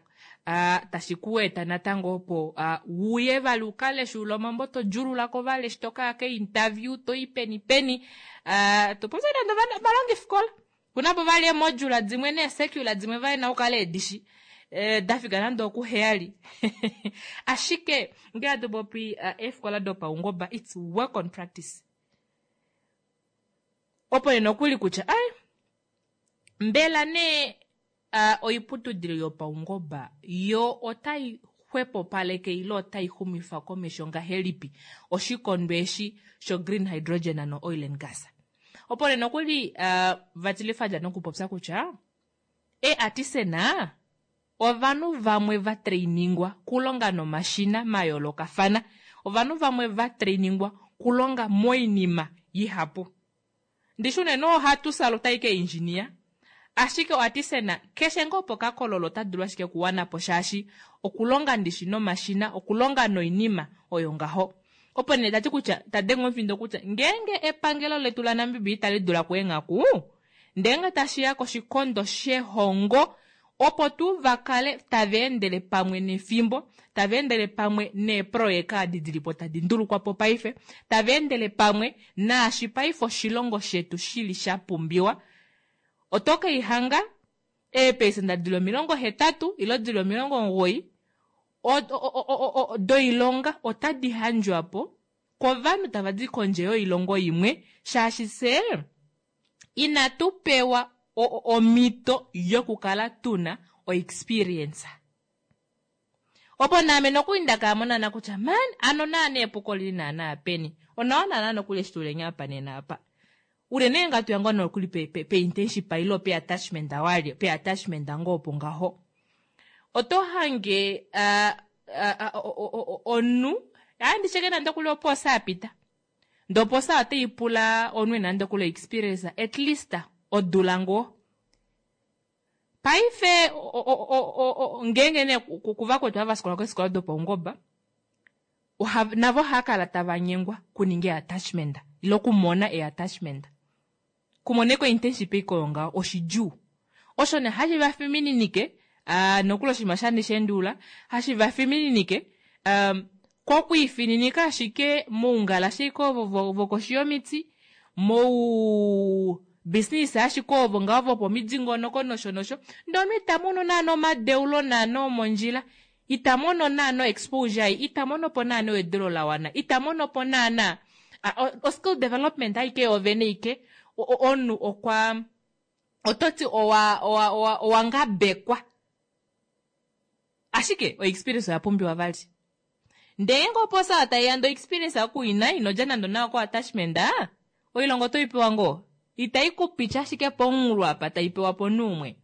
tashi ku eta natango opo uye vali ukaleshulula omambo to djululako vali eshi tokaya ke-interview toi peni peni topopya nande ovalongifikola kunapo vali eemodula dimwe neesecula dimwe vali na ukale edishi dafika nande okuheyali ashike ngee hatu popi eefikola dopaungoba it's work on practice opo nee nokuli kutya ai mbela nee oiputudilo yopaungoba yo otai xwepopaleke ile otai xumifa komesho ngahelipi oshikondo eshi sho green hydrogen no oil and gas opo nee nokuli vatilifa nokupopya kutya eeartisana ovanhu vamwe va trainingwa kulonga nomashina mayoolokafana ovanhu vamwe va trainingwa kulonga moinima ihapu ndishi unene ohatu saluta ike engineer ashike oartisana keshe ngoo pokakololo ota dulu ashike okuwanapo shaashi okulonga ndishi nomashina okulonga noinima oyo ngaho opo nee tati kutya tadenge omufindo kutya ngeenge epangelo letu laNamibia itali dula kuenghaku ndenge tashiya koshikondo shehongo opo tuu vakale tava endele pamwe nefimbo tava endele pamwe neeproyeka adi dilipo tadi ndulukwapo paife tava endele pamwe naashi paife oshilongo shetu shili sha pumbiwa oto keihanga eepesenda dili 80 ile dili 90 doilonga otadi handjwapo kovanhu tava di kondje yoilongo imwe shaashi fye inatu pewa omhito yokukala tuna oexperience opo naame nokuli ndakamonana kutya man ano naana epuko lili naana peni onawa naana nokuli eshi tuli apa nena apa unene ngatu ngoo nokuli pe internship ile pe attachment walye pe attachment ngoo opo ngaho oto hange omunhu andisheke nande okuli oposa yapita ndee oposa otaipula omunhu ena nande okuli experience at least odula ngoo paife ngeenge nee kuvakwetu ava vafikola keefikola dopaungoba navo ohava kala tava nyengwa kuninga e-attachment ile okumona e-attachment kumona eko internship ikoyo ngaho oshidjuu osho nee hashi vafimininike nokuli oshinima shanishendula hashi vafimininike kokwiifininika ashike moungalashe iko ovo vokoshi yomiti mou business ashike ovo ngaho vopomidingonoko nosho nosho ndee omunhu ita mono naana omadeulo naana omondjila ita mono naana exposure ita mono po naana ewedelo lawana ita mono po naana o skill development aike yoovene ike omunhu okwa Oto ti owa, owa, owa, owa ngabekwa. Ashike o-experience oya pumbiwa vali. Ndee ngeenge oposa tai ya ndee o-experience ku i na, ino dja nande onawa ko-attachment, oilonga oto i pewa ngoo? Itai ku piti ashike pomunghulo apa tai pewa pomunhu umwe.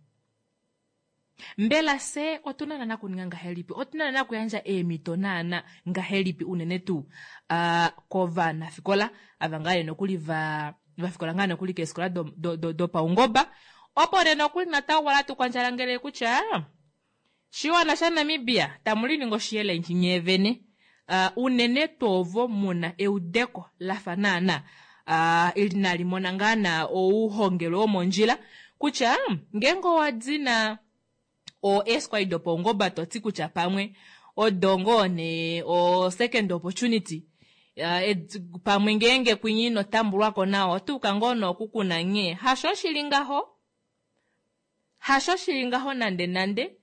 Mbela fye otu na naana okuninga ngahelipi? Otu na naana okuyandja eemhito naana ngahelipi unene tuu kovanafikola ava ngaa nee nokuli va vafikola ngaa nokuli keefikola dopaungoba opo nee nokuli natango kwali hatu kwandjalangele kutya shiwana shaNamibia tamu liningi oshiyelendji nyee vene unene tuu ovo muna eudeko lafa naana inali mona ngaa na ouhongelwe womondjila kutya ngeenge owa dina o eeskwai dopaungoba to ti kutya pamwe odo ngoo nee o second opportunity pamwe ngeenge kwinyi ino tambulwako nawa oto uka ngoo nee okukuna nghee hasho shili ngaho hasho shili ngaho nande nande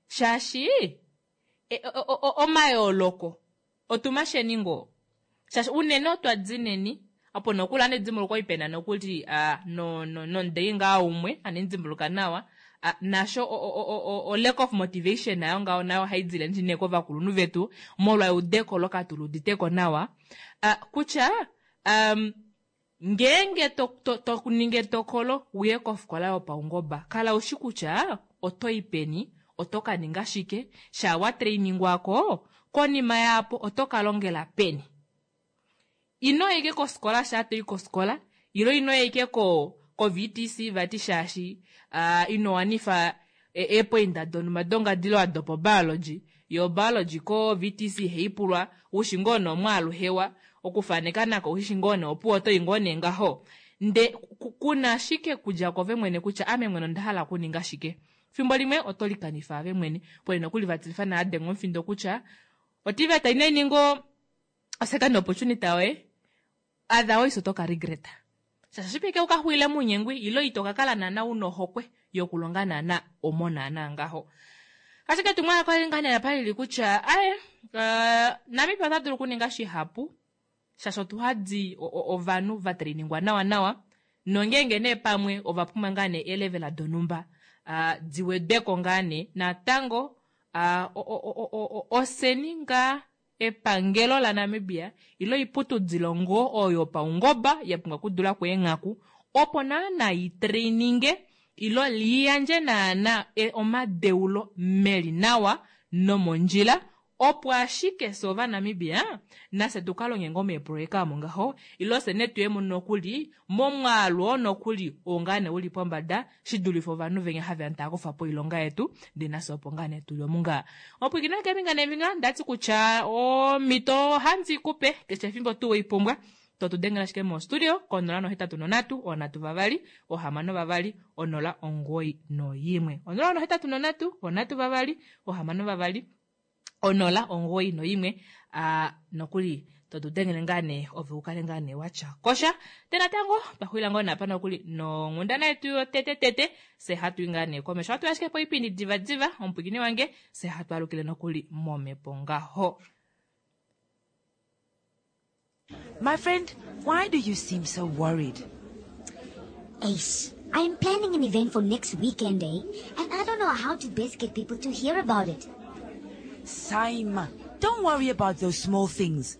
shaashi omayooloko otumasheni ngoo shaashi unene otwa dineni opo nokuli andi dimbuluka oi pena nokuli no no nomudei ngaa umwe andi dimbuluka nawa nasho o lack of motivation nayo ngaho nayo ohai dile ndi nee kovakulunhu vetu molwa eudeko olo katu luditeko nawa kutya um, Ngeenge to, to, to ningi etokolo u ye kofikola yopaungoba, kala u shi kutya oto i peni, oto ka ninga shike, shaa wa trainingwa ko, konima yaapo oto ka longela peni. Ino ya ashike kofikola shaa to i kofikola, ile ino ya ashike ko, ko-VTC vati shaashi uh, ino wanifa eepoinda donhumba dongadilo dopobiology, yo obiology ko-VTC ihai pulwa, u shi ngoo nee omwaalu hewa, okufaneka nako oushi shi ngoo nee opuwo oto i ngoo nee ngaho. Nde ku na ashike kudja kove mwene kutya ame mwene onda hala okuninga shike. Fimbo limwe oto likanifa ove mwene. Pole nokuli va tilifa naa denga omufindo kutya oTVET inai ninga o-second opportunity yoye, otherwise oto ka regreta. Shaashi oshi peke u ka xulile mounyengwi ile ito ka kala naana u na ohokwe yokulonga naana omo naana ngaho. Ashike etumwalaka oli ngaa nee apa lili kutya aye uh, Namibia ota dulu okuninga shihapu shaashi otu hadi ovanhu va trainingwa nawa nawa nongeenge nee pamwe ova pumbwa ngaa nee eelevela donhumba uh, di wedweko ngaa nee natango uh, oseni ngaa Epangelo laNamibia ile oiputudilo ngoo oyo yopaungoba ya pumbwa okudula ko eenghaku opo naana i traininge ilo li yandje naana omadeulo meli nawa nomondjila opo ashike fye Ovanamibia nafye tu ka longe ngoo meeproyeka omo ngaho ilo fye nee tuye mo nokuli momwaalu oo nokuli oo ngaa nee uli pombada shi dulife ovanhu venya have ya tava kufa po oilonga yetu ndee nafye opo ngaa nee tuli omu ngaa. Omupwiikini keembinga neembinga ndati kutya omhito ohandi ku pe keshe efimbo tuu wei pumbwa to tu dengele ashike mo studio ko 083 3 6 2 091 083 3 6 2 091 a nokuli to tu dengele ngaa nee ove u kale ngaa nee watya kosha te natango twa xulila ngoo naapa nokuli nonghundana yetu yotete tete fye hatu i ngaa nee komesho hatu ashike poipindi diva diva omupwiikini wange fye hatu alukile nokuli momhepo ngaho. My friend, why do you seem so worried? Ace, I am planning an event for next weekend, eh? And I don't know how to best get people to hear about it. Saima, don't worry about those small things.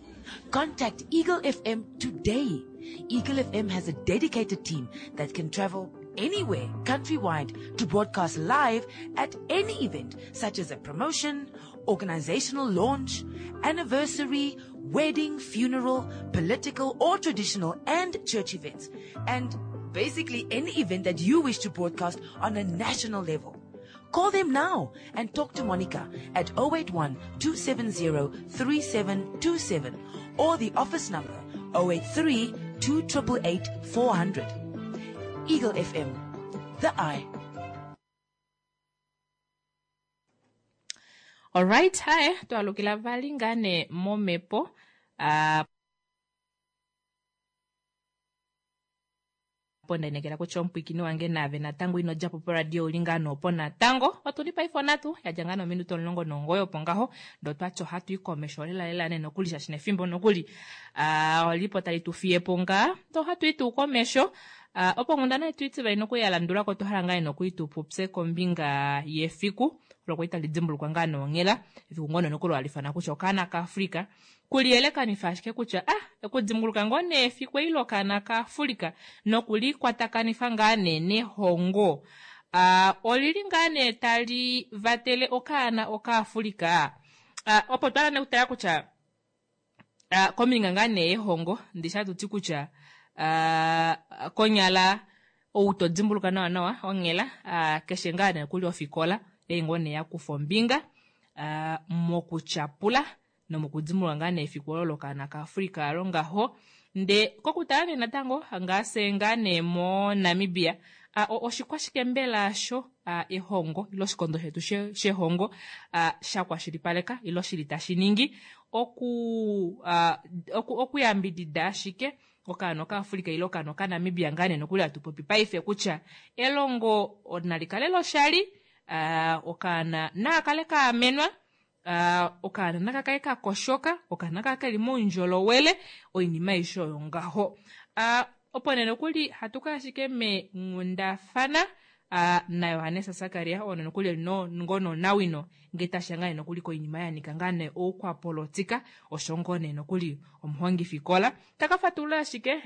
Contact Eagle FM today. Eagle FM has a dedicated team that can travel anywhere countrywide to broadcast live at any event, such as a promotion, organizational launch, anniversary, wedding, funeral, political or traditional and church events, and basically any event that you wish to broadcast on a national level. Call them now and talk to Monica at 081 270 3727 or the office number 083 288 400. Eagle FM, the eye. Alright, hae twalukila vali ngaa nee momhepo uh, po ndainekela kutya omupwikini wange naave natango ino dja po poradio uli ngaa noopo natango otu li paife onatu ya dja ngaa nominute 19 opo ngaho ndee otwati ohatu i komesho lela lela nee nokuli shaashi nefimbo nokuli uh, olipo tali tu fiye po ngaa ndee ohatu i tuu komesho. Opo onghundana yetu itivali noku ya landulako otwa hala ngaa nokuli tu popye kombinga yefiku olo kwali tali dimbulukwa ngaa nonghela, efiku ngoo nee nokuli hali ifanwa kutya okaana kaAfrica, kuliyelekanifa ashike kutya ah okudimbuluka ngoo nee efiku eli lokaana kaAfrica nokulikwatakanifa ngaa nee nehongo, olili ngaa nee tali vatele okaana okaAfrica. Opo twa hala nee okutala kutya kombinga ngaa nee yehongo, ndishi hatu ti kutya konyala ou to dimbuluka nawa nawa onghela keshe ngaa nee kuli ofikola ei ngoo nee yakufa ombinga mokutyapula nomokudimbuluka ngaa nee efiku olo lokaana kaAfrica alo ngaho. Nde kokutala nee natango ngaa fye ngaa nee moNamibia oshikwashike mbela asho ehongo ile oshikondo shetu shehongo sha kwashilipaleka ile shili tashi ningi okuyambidida ashike okaana okaAfrica ile okaana okaNamibia ngaa nee nokuli hatu popi paife kutya elongo nali kale loshali, okaana naka kale kaamenwa, okaana naka kale kakoshoka, okaana naka kale keli moundjolowele, oinima aishe oyo ngaho. Opo nee nokuli hatu kaya ashike meenghundafana naJohannes Sakaria oo nokuli eli ngoo nonawino ngee tashiya ngaa nee nokuli koinima yanika ngaa nee oukwapolitika, osho ngoo nee nokuli omuhongifikola taka fatulula ashike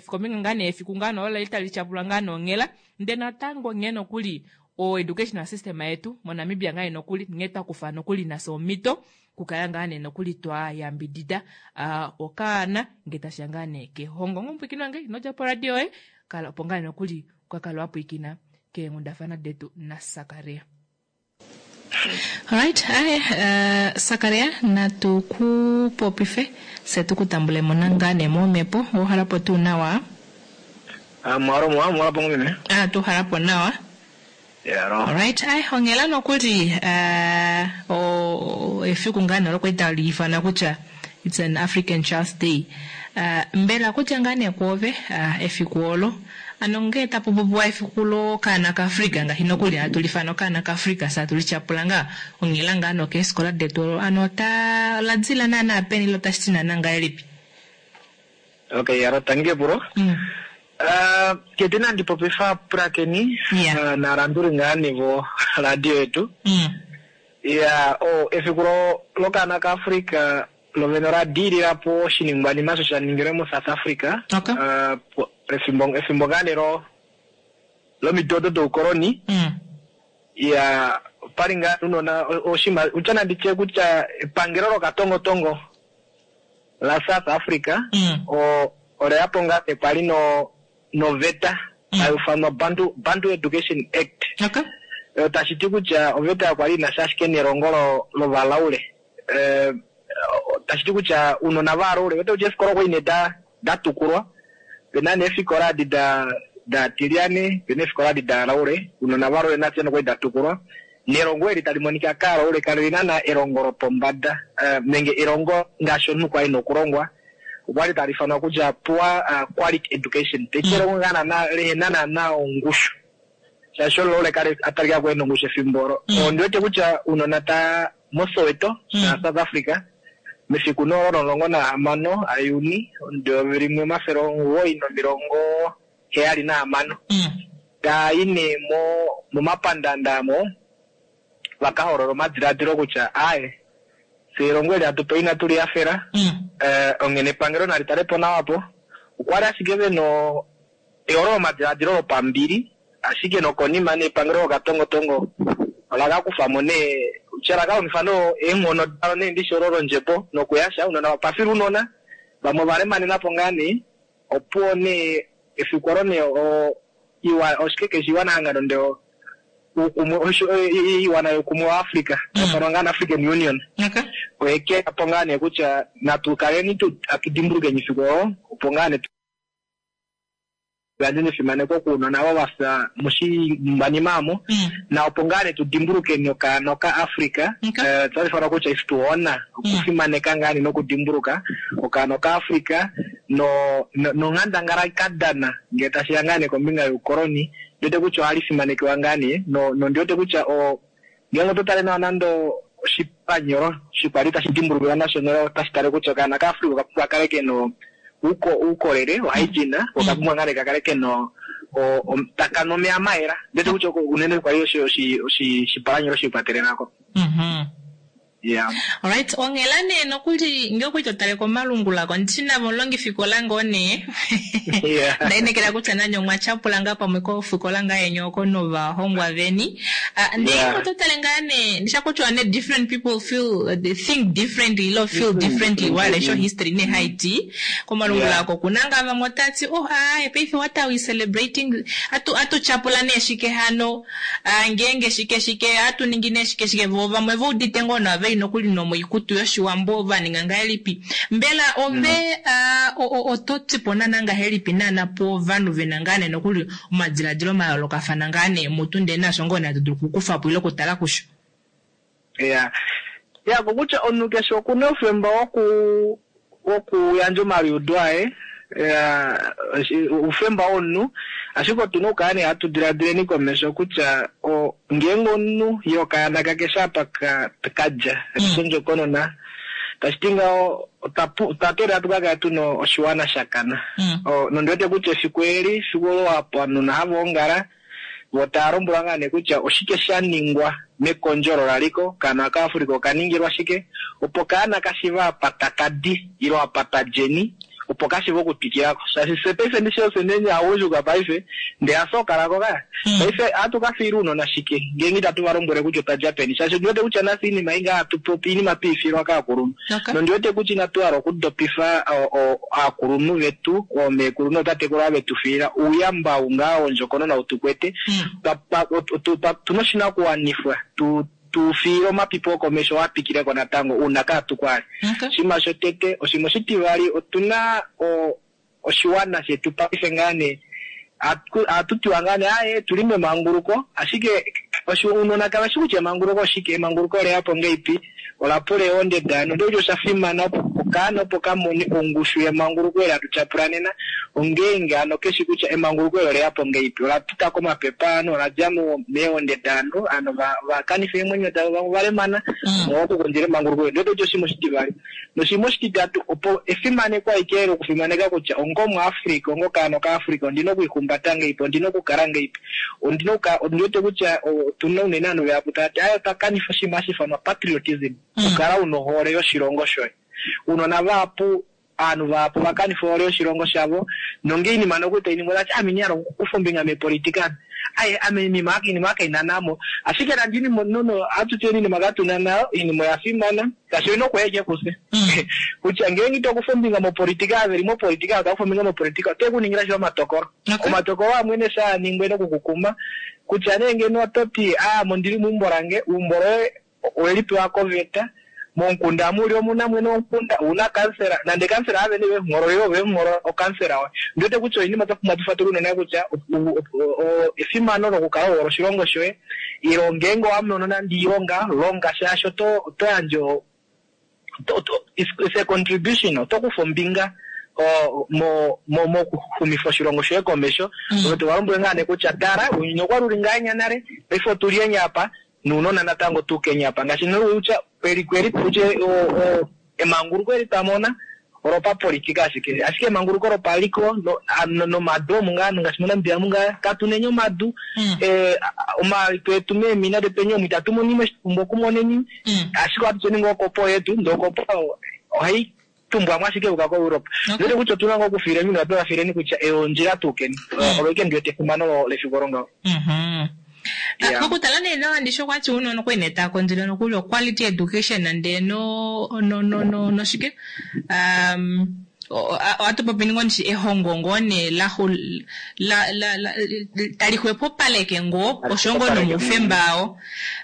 kombinga ngaa nee efiku ngaa nee olo tali tyapulwa ngaa nonghela, ndee natango nghee nokuli o educational system yetu moNamibia ngaa nee nokuli nghee twakufa nokuli nafye omhito kukala ngaa nee nokuli twa yambidida okaana ngee tashiya ngaa nee kehongo. Omupwiikini wange ino dja poradio yoye, kala opo ngaa nee nokuli ukakale wa pwiikina keenghundafana detu naSakaria. Alright, aye, Sakaria, natu ku popife fye tu ku tambulemo ngaa nee momhepo. Owa hala po tuu nawa? Mwalo mwa, mwalo po ngomeme. Tu hala po nawa. Yaro. Alright, aye, onghela nokuli efiku ngaa nee olo kwali tali ifana kutya it's an African Child's Day. Mbela kutya ngaa nee kwoove efiku olo, ano ngee tapu popiwa efiku lokaana kaAfrica ngaashi nokuli hatu lifana okaana kaAfrica fye hatu lityapula ngaa onghela ngaa nokeefikola detu olo, ano ota la dila naana peni ile otashi ti naana ngahelipi? Okay, yaro, tangi epulo. Tete nandi popifa pulakeni nalanduli ngaa nevo radio yetu. Ya, efiku lokaana kaAfrica lovene ola diilila po oshiningwanima osho sha ningilwe moSouth Africa. Efimbo ngaa nee lomido odo doukoloni. Ya, opali ngaa unona oshima utya nandi tye kutya epangelo lokatongotongo la South Africa oleya po ngaa nee kwali noveta hayi ufanwa Bantu Education Act. Tashi ti kutya oveta kwali inasha ashike nelongo lovalaule. Tashi ti kutya unona vaalaule wete kutya eefikola okwali nee datukulwa, pena nee eefikola adi daatilyane, pena eefikola adi daalaule, unona vaalaule nafye nokwali datukulwa. Nelongo eli tali monika kaalaule kali naana elongo lopombada, nenge elongo ngaashi omunhu kwali nokulongwa, okwali tali ifanwa kutya poor quality education. Taiti elongo ngaa naana lehena naana ongushu, shaashi omulaule kali atalika ko ena ongushu efimbo olo. Ondi wete kutya unona ta moSoweto sha South Africa mefiku nee olo 16 aJuni 1976 taa i nee momapandanda amo vaka holola omadiladilo kutya aaye fye elongo eli hatu pewa inatu lihafela, onghene epangelo nali tale po nawa po. Okwali ashike vena ehololo lomadiladilo lopambili, ashike nokonima nee epangelo lokatongotongo ola ka kufamo nee kutya la ka longifa nee eenghono dalo nee ndishi olo londjebo nokuyasha ounona vapafila ounona vamwe ova lemanena po ngaa nee. Opuwo nee efiku olo nee oshike keshe iwana hangano ndee uukumwe iwana youkumwe wa Africa taifanwa ngaa African Union oye keyapo ngaa nee kutya natu kaleni atu dimbulukeni efiku olo opo ngaa nee tuyandje nefimaneko kuunona avo vafya moshiningwanima amo, na opo ngaa nee tu dimbulukeni okaana ka Africa. Otali ifanwa kutya is to honor, okufimaneka ngaa nee nokudimbuluka okaana ka Africa nonghandangala ka dana ngee tashiya ngaa nee kombinga youkoloni. Ndiwete kutya ohali fimanekiwa ngaa nee nondiwete kutya ngeenge oto tale nawa nando oshipanyolo shikwali tashi dimbulukiwa nasho otashi tale kutya okaana ka Africa okapumbwa kale kena Uukolele, ohygiene, oka pumbwa ngaa nee ka kale kena taka nu omeya mayela. Ndete kutya oko unene kwali oshipalanyolo shiikwatelelako. Yeah. Alright, onghela nee nokuli ngee okwali to tale komalungula ko ndishi navo omulongifikola ngoo nee. Yeah. Ndainekela kutya nanye omwa tyapula ngaa pamwe kofikola ngaa yeni oko novahongwa veni. Ah, ndee oto tale ngaa nee ndisha kutya nee different people feel they think differently ilo feel differently wale sho history nee haiti. Komalungula oko kuna ngaa vamwe otati oh aaye paife what are we celebrating atu atu tyapula nee shike hano ah, ngeenge shike shike atu ningi nee shike shike vo vamwe ve udite ngoo nawa veli nokuli nomoikutu yoshiwambo va ninga ngahelipi mbela ove ah, oto ti po naana ngahelipi naana povanhu vena ngaa nee nokuli omadiladilo mayoolokafana ngaa nee mutu ndee naasho ngoo nee hatu dulu okukufa po ile okutala kusho. Ya, ya kokutya omunhu keshe okuna oufemba woku wokuyandja omaliudo aye, ya, oufemba womunhu, ashike otuna okukala nee hatu diladileni komesho kutya o, ngeenge omunhu ye okaana kakeshe apa ka, kadja, kakeshe ondjokonona, tashi ti ngaho otwa pu, otwa teelela tu ka kale tuna oshiwana sha kana. O, nondi wete kutya efiku eli, efiku olo ovanhu hava ongala, Vo tava lombwelwa ngaa nee kutya oshike sha ningwa mekondjo olo la li ko, okaana okaAfrica oka ningilwa shike, opo okaana ka shiive apa taka di ile apa twa djeni, opo ka shiive okutwikila ko. Shaashi fye paife ndishi ofye nee aagundjuka paife, ndee hafye okala ko ka. Paife ohatu ka fiila uunona shike ngeenge itatu va lombwele kutya otwa dja peni? Shaashi ondi wete kutya nafye oinima ei ngaa hatu popi oinima twe i fiilwa kaakulunhu. Nondi wete kutya inatu hala okudopifa aakulunhu vetu, oomeekulu nootatekulu ava vetu fiila ouyamba ou ngaa wondjokonona ou tu kwete. Otu na oshinakuwanifwa tu tu fiile omapipi okomesho a twikile ko natango uuna kaatu ko ali. Oshinima shotete. Oshinima oshitivali, otu na oshiwana shetu paife ngaa nee ohatu tiwa ngaa nee aaye tuli memanguluko ashike ounona kave shi kutya emanguluko oshike, emanguluko ole ya po ngeipi, ola pula eehonde daanhu. Ondiwete kutya osha fimana opo okaana opo ka mone ongushu yemanguluko eli hatu tyapula nena, ongeenge hano keshi kutya emanguluko eli ole ya po ngeipi, ola pita komapepe aanhu, ola dja meehonde daanhu, ovanhu va kanifa eemwenyo davo, vamwe ova lemana omolwa okukondjela emanguluko eli. Ondiwete kutya oshinima oshitivali. Noshinima oshititatu, opo efimaneko alike lokufimaneka kutya onga Omuafrika, onga okaana Okaafrika, ondi na okwiihumbata ngeipi, ondi na okukala ngeipi, ondi na okukala, ondi wete kutya otu na unene ovanhu vahapu tava ti, aaye otwa kanifa oshinima hashi ifanwa patriotism, okukala u na ohole yoshilongo shoye. Ounona vahapu, ovanhu vahapu ova kanifa ohole yoshilongo shavo, nonge oinima nokuli tai ningwa otava ti, ame inandi hala okukufa ombinga meepolitika ame. Aye, ame iinima iinima kaina namo. Ashike nande iinima no, ohatu ti oinima katuna nayo, oinima oya fimana. Shaashi oina okuya ashike kufye. Kutya ngeenge ito kufa ombinga mopolitika, ava veli mopolitika ava tava kufa ombinga mopolitika ote ku ningila shili omatokolo. Omatokolo amwe nee shaa ningwa ena okukukuma. Kutya nee ngeno oto ti aa ame ondili meumbo lange, eumbo loye oweli pewa koveta, momukunda amu uli omuna mwene womukunda, ouna kansela, nande kansela have nee vemuhoololile ove muhoolola okansela waye. Ondi wete kutya oinima twa pumbwa tu fatulule unene kutya efimano lokukala u hole oshilongo shoye, Ilo ngeenge owa mono nande oilonga, longa shaashi oto oto yandje it's a contribution, oto kufa ombinga mo mo mokuxumifa oshilongo shoye komesho. Ove to va lombwele ngaa nee kutya tala, ounyuni okwa li uli ngahenya nale, paife otu li enya apa, nounona natango tu kenya apa. Ngaashi nee kutya eliko eli tutye emanguluko eli twa mona olopapolitika ashike, ashike emanguluko lopaliko nomadu omu ngaa ngaashi moNamibia omu ngaa katu neni omadu, omaliko etu meemina detweni omu itatu mono eshi twa pumbwa okumoneni, ashike ohatu tyeni ngoo okopo yetu, ndee okopo ohai tumbwamo ashike yuuka koEurope. Ndiwete kutya otuna ngoo okufiileni nohatu va fiileni kutya ei ondjila tuukeni. Olo ashike ndiwete efimano lefiku olo ngaho. Yeah. Mokutala nee nawa ndishi okwati uunona okwali nee taa kondjele nokuli o quality education ndee no no no no noshike um ohatu popi ngoo ndishi ehongo ngoo nee la la la la tali xwepopaleke ngoo osho ngoo nomaufemba ao.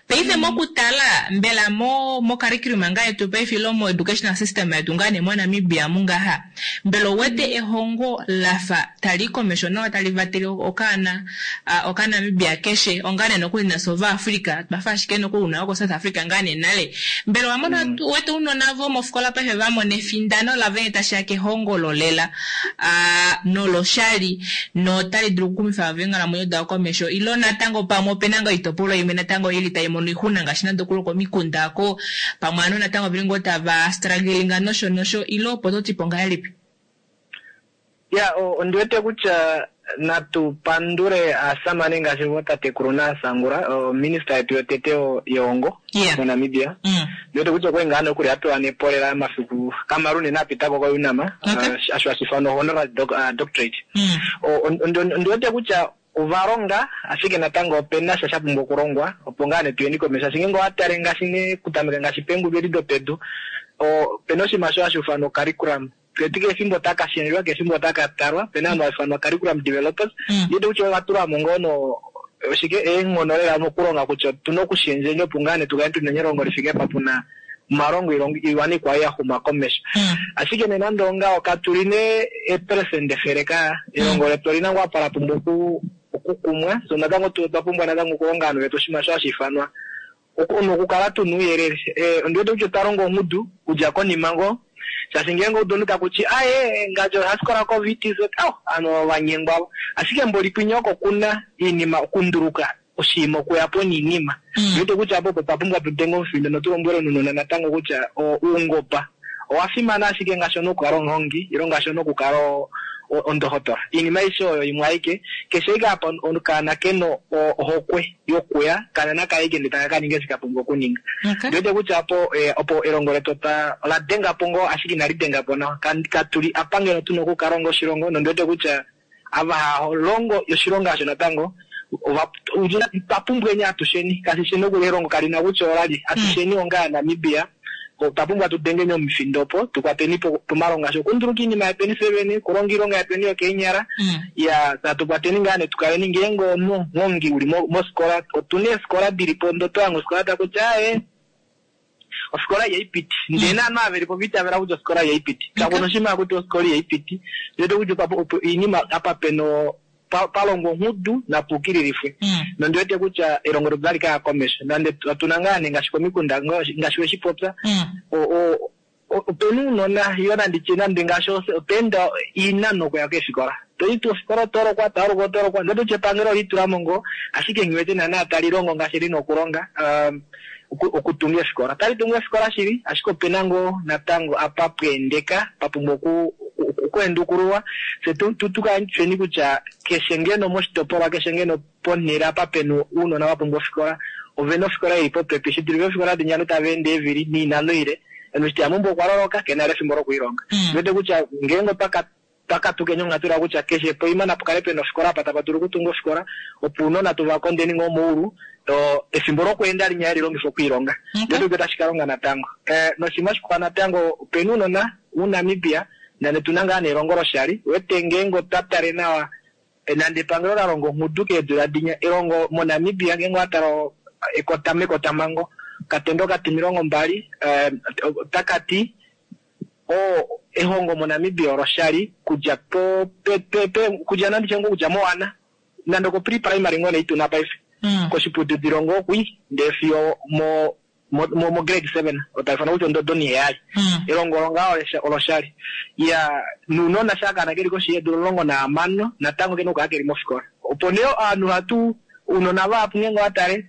Paife mokutala mbela mo mo curriculum ngaa yetu paife ile mo educational system yetu ngaa nee moNamibia mungaha mbela ouwete ehongo lafa tali komesho nawa tali vatele okaana okaNamibia keshe onga nee nokuli nafye Ovaafrica twafa ashike nokuli una woko South Africa ngaa nee nale mbela owamona uwete ounona vomofikola paife vamona efindano lavo nghee tashiya kehongo lolela noloshali notali dulu okuxumifa eenghalamwenyo davo komesho ile natango pamwe opena ngoo oitopolwa imwe natango ili tai mono oixuna ngaashi nande okuli komikunda oko pamwe ovanhu natango oveli ngoo tava struggling nosho nosho ile opo totipo ngahelipi? Ya, ondi wete kutya natu pandule aasamane ngaashi vootatekulu naasangula, ominista yetu yotete yehongo moNamibia. Ondi wete kutya okwali ngaa nokuli a pewa nepolela mafiku kamalu unene a pita ko koUNAM, osho hashi ifanwa honorary doctorate. Ondi wete kutya ova longa, ashike natango ope na sha sha pumbwa okulongwa opo ngaa nee tuyeni komesho. Shaashi ngeenge owa tale ngaashi nee okutameka ngaashi peengudu edi dopedu, ope na oshinima osho hashi ifanwa ocurriculum. Keti kehe efimbo otaka shendjwa, kehe efimbo otaka talwa. Ope na ovanhu hava ifanwa curriculum developers. Ndi wete kutya ova tula mo ngoo no oshike eenghono lela mokulonga kutya otu na okushendjeni opo ngaa nee tu kale tu na elongo li fike apa pu na omalongo oiwana ikwao ya xuma komesho. Ashike nee nande ongaho katu li nee eeperesenda efele ka. Elongo letu oli na ngoo apa la pumbwa okukumwa. So natango otwa pumbwa natango okulonga ovanhu vetu oshinima osho hashi ifanwa nokukala tu na ouyelele. Ondi wete kutya otwa longa ongudu okudja konima ngoo, shaashi ngeenge oudu omunhu taku ti aye ngaashi ohafikola koVTC, au ovanhu ova nyengwa vo. Ashike mboli kwinya oko ku na oinima okunduluka oshinima okuya po noinima. Ondi wete kutya apo opo twa pumbwa tu denge omufindo notu lombwele omunhu natango kutya oungomba owa fimana ashike ngaashi omunhu okukala omuhongi ile ngaashi omunhu okukala ondohotola. Oinima aishe oyo imwe aike, keshe ashike apa okaana ke na ohokwe yokuya, kana naka ye ndele taka ka ninga eshi ka pumbwa okuninga. Ndi wete kutya opo opo elongo letu otwa ola denga po ngoo ashike inali denga po nawa. Katu li apa ngeno tu na okukala onga oshilongo nondi wete kutya ava hava longo oshilonga osho natango ova otwa pumbweni atusheni. Kashi shi nokuli elongo kali na kutya ola li. Atusheni onga Aanamibia otwa pumbwa tu dengeni omufindo opo tu kwateni po pomalongo ngaashi okunduluka iinima yetweni fye vene, okulonga oilonga yetweni yokeenyala. Iyaa, natu kwateni ngaa nee tu kaleni ngeenge omuhongi uli mofikola, otu na eefikola di li po ndee oto hange ofikola taku ti aaye ofikola ihai piti. Ndee naanhu ava veli po ova itavela kutya ofikola ihai piti. Kaku na oshinima haku tiwa ofikola ihai piti. Ondi wete kutya opo oinima apa pena pa longwa onghudu napa ukililifwe. Nondi wete kutya elongo letu otali ka ya komesho. Nande otu na ngaa nee ngaashi komikunda ngaashi we shi popya, ope na ounona ile nandi tye nande ngaashi otwa enda oinano okuya keefikola. To i tuu ofikola oto lokwa, to aluka oto lokwa. Ondi wete kutya epangelo ole litula mo ngoo, ashike nghi wete naana tali longo ngaashi li na okulonga okutunga eefikola. Otali tungu eefikola shili, ashike ope na ngoo natango apa pwa endeka, pa pumbwa okuendukululwa, fye tu kale tusheni kutya keshe ngeno moshitopolwa, keshe ngeno ponhele apa pe na ounona va pumbwa ofikola, ove na ofikola i li popepi, shi dulife eefikola dinya ovanhu tava ende eevili noinano ile. Omunhu eshi teya meumbo okwa loloka, ke na vali efimbo lokulilonga. Ondi wete kutya ngeenge otwa twa katukeni onghatu la kutya keshe poima napa kale pena ofikola apa tapa dulu okutunga ofikola opo ounona tu va kondeni ngoo moulu efimbo lokweenda linya hali longifwa okwiilonga. Ndele otu wete tashi ka longa natango. Noshinima shikwao natango opena ounona muNamibia nande tuna ngaa nee elongo loshali wete ngeenge otwa tale nawa nande epangelo la longa onghudu keedula dinya elongo moNamibia ngeenge owa tala ekota mekotamhango okatendo okatimilongo mbali otaka ti O ehongo moNamibia oloshali kudja po pe pe pe kudja nandi tye ngoo kudja mowana nande oko pre primary ngoo nee ituna paife koshiputudilo ngoo kwi ndee fiyo mo mo mo grade 7 otaifana kutya ondodo oniheyali elongo olo ngaa oloshali iya nounona shaa okaana keli koshi yeedula 16 natango kena okukala keli mofikola opo nee ovanhu ohatu ounona vahapu ngeenge owa tale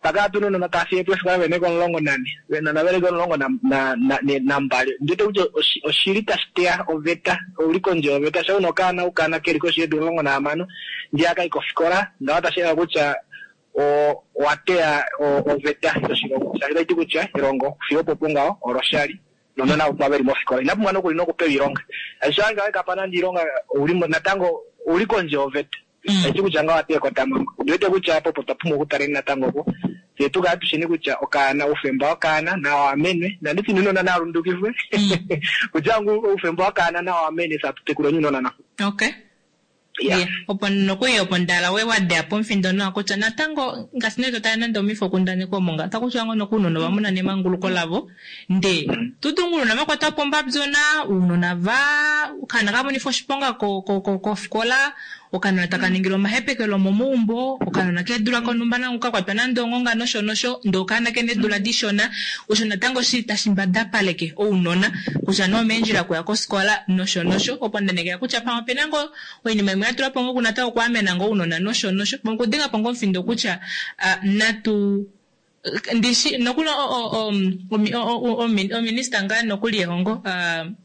Mpaka otu na uunona tava fiye po eefikola veli komulongo nane, uunona veli komulongo nambali. Ondi wete kutya oshi li tashi teya oveta, ou li kondje yoveta. Shampa u na okaana okaana ke li koshi yeedula 16 ndee aka yi kofikola, ngaho otashi hala kutya owa teya oveta yoshilongo. Shaashi otashi ti kutya elongo fiyo opo opo ngaho oloshali nounona ava ve li mofikola inava pumbwa nokuli nokupewa oilonga. Shaashi shampa wa kapa nande oilonga ou li natango ou li kondje yoveta. Tashi ti kutya ngaho ohatu ekotamhango. Ondi wete kutya apa opo twa pumbwa okutaleni natango opo fye tu kale tushini kutya okaana, oufemba wokaana nau amenwe. Nandi ti ounona nava lundukifwe kutya oufemba wokaana nau amenwe fye hatu tekuleni ounona nawa. Okay. Yeah. Opo nokuli opo ndala we wadeya pomufindo nawa kutya natango ngaashi nee to tale nande omifokundaneki omo nga otaku tiwa ngoo noku ounona ova mona nemanguluko lavo Nde tu tunga uunona va kwatwa po ombabyona, uunona va okaana ka monifwa oshiponga kofikola, okanona taka ningilwa omahepekelo omomaumbo, okanona keedula konhumba nango ka kwatwa nande onghonga nosho nosho, ndee okaana kena eedula dishona. Osho natango shili tashi mbadapaleke ounona kutya nee omeendjila okuya kofikola nosho nosho. Opo nda nekela kutya pamwe opena ngoo oinima imwe ya tulwa po ngoo natango okwaamena ngoo ounona nosho nosho. Pamwe okudenga po ngoo omufindo kutya natu. Ndishi nokuli ominista ngaa nokuli yehongo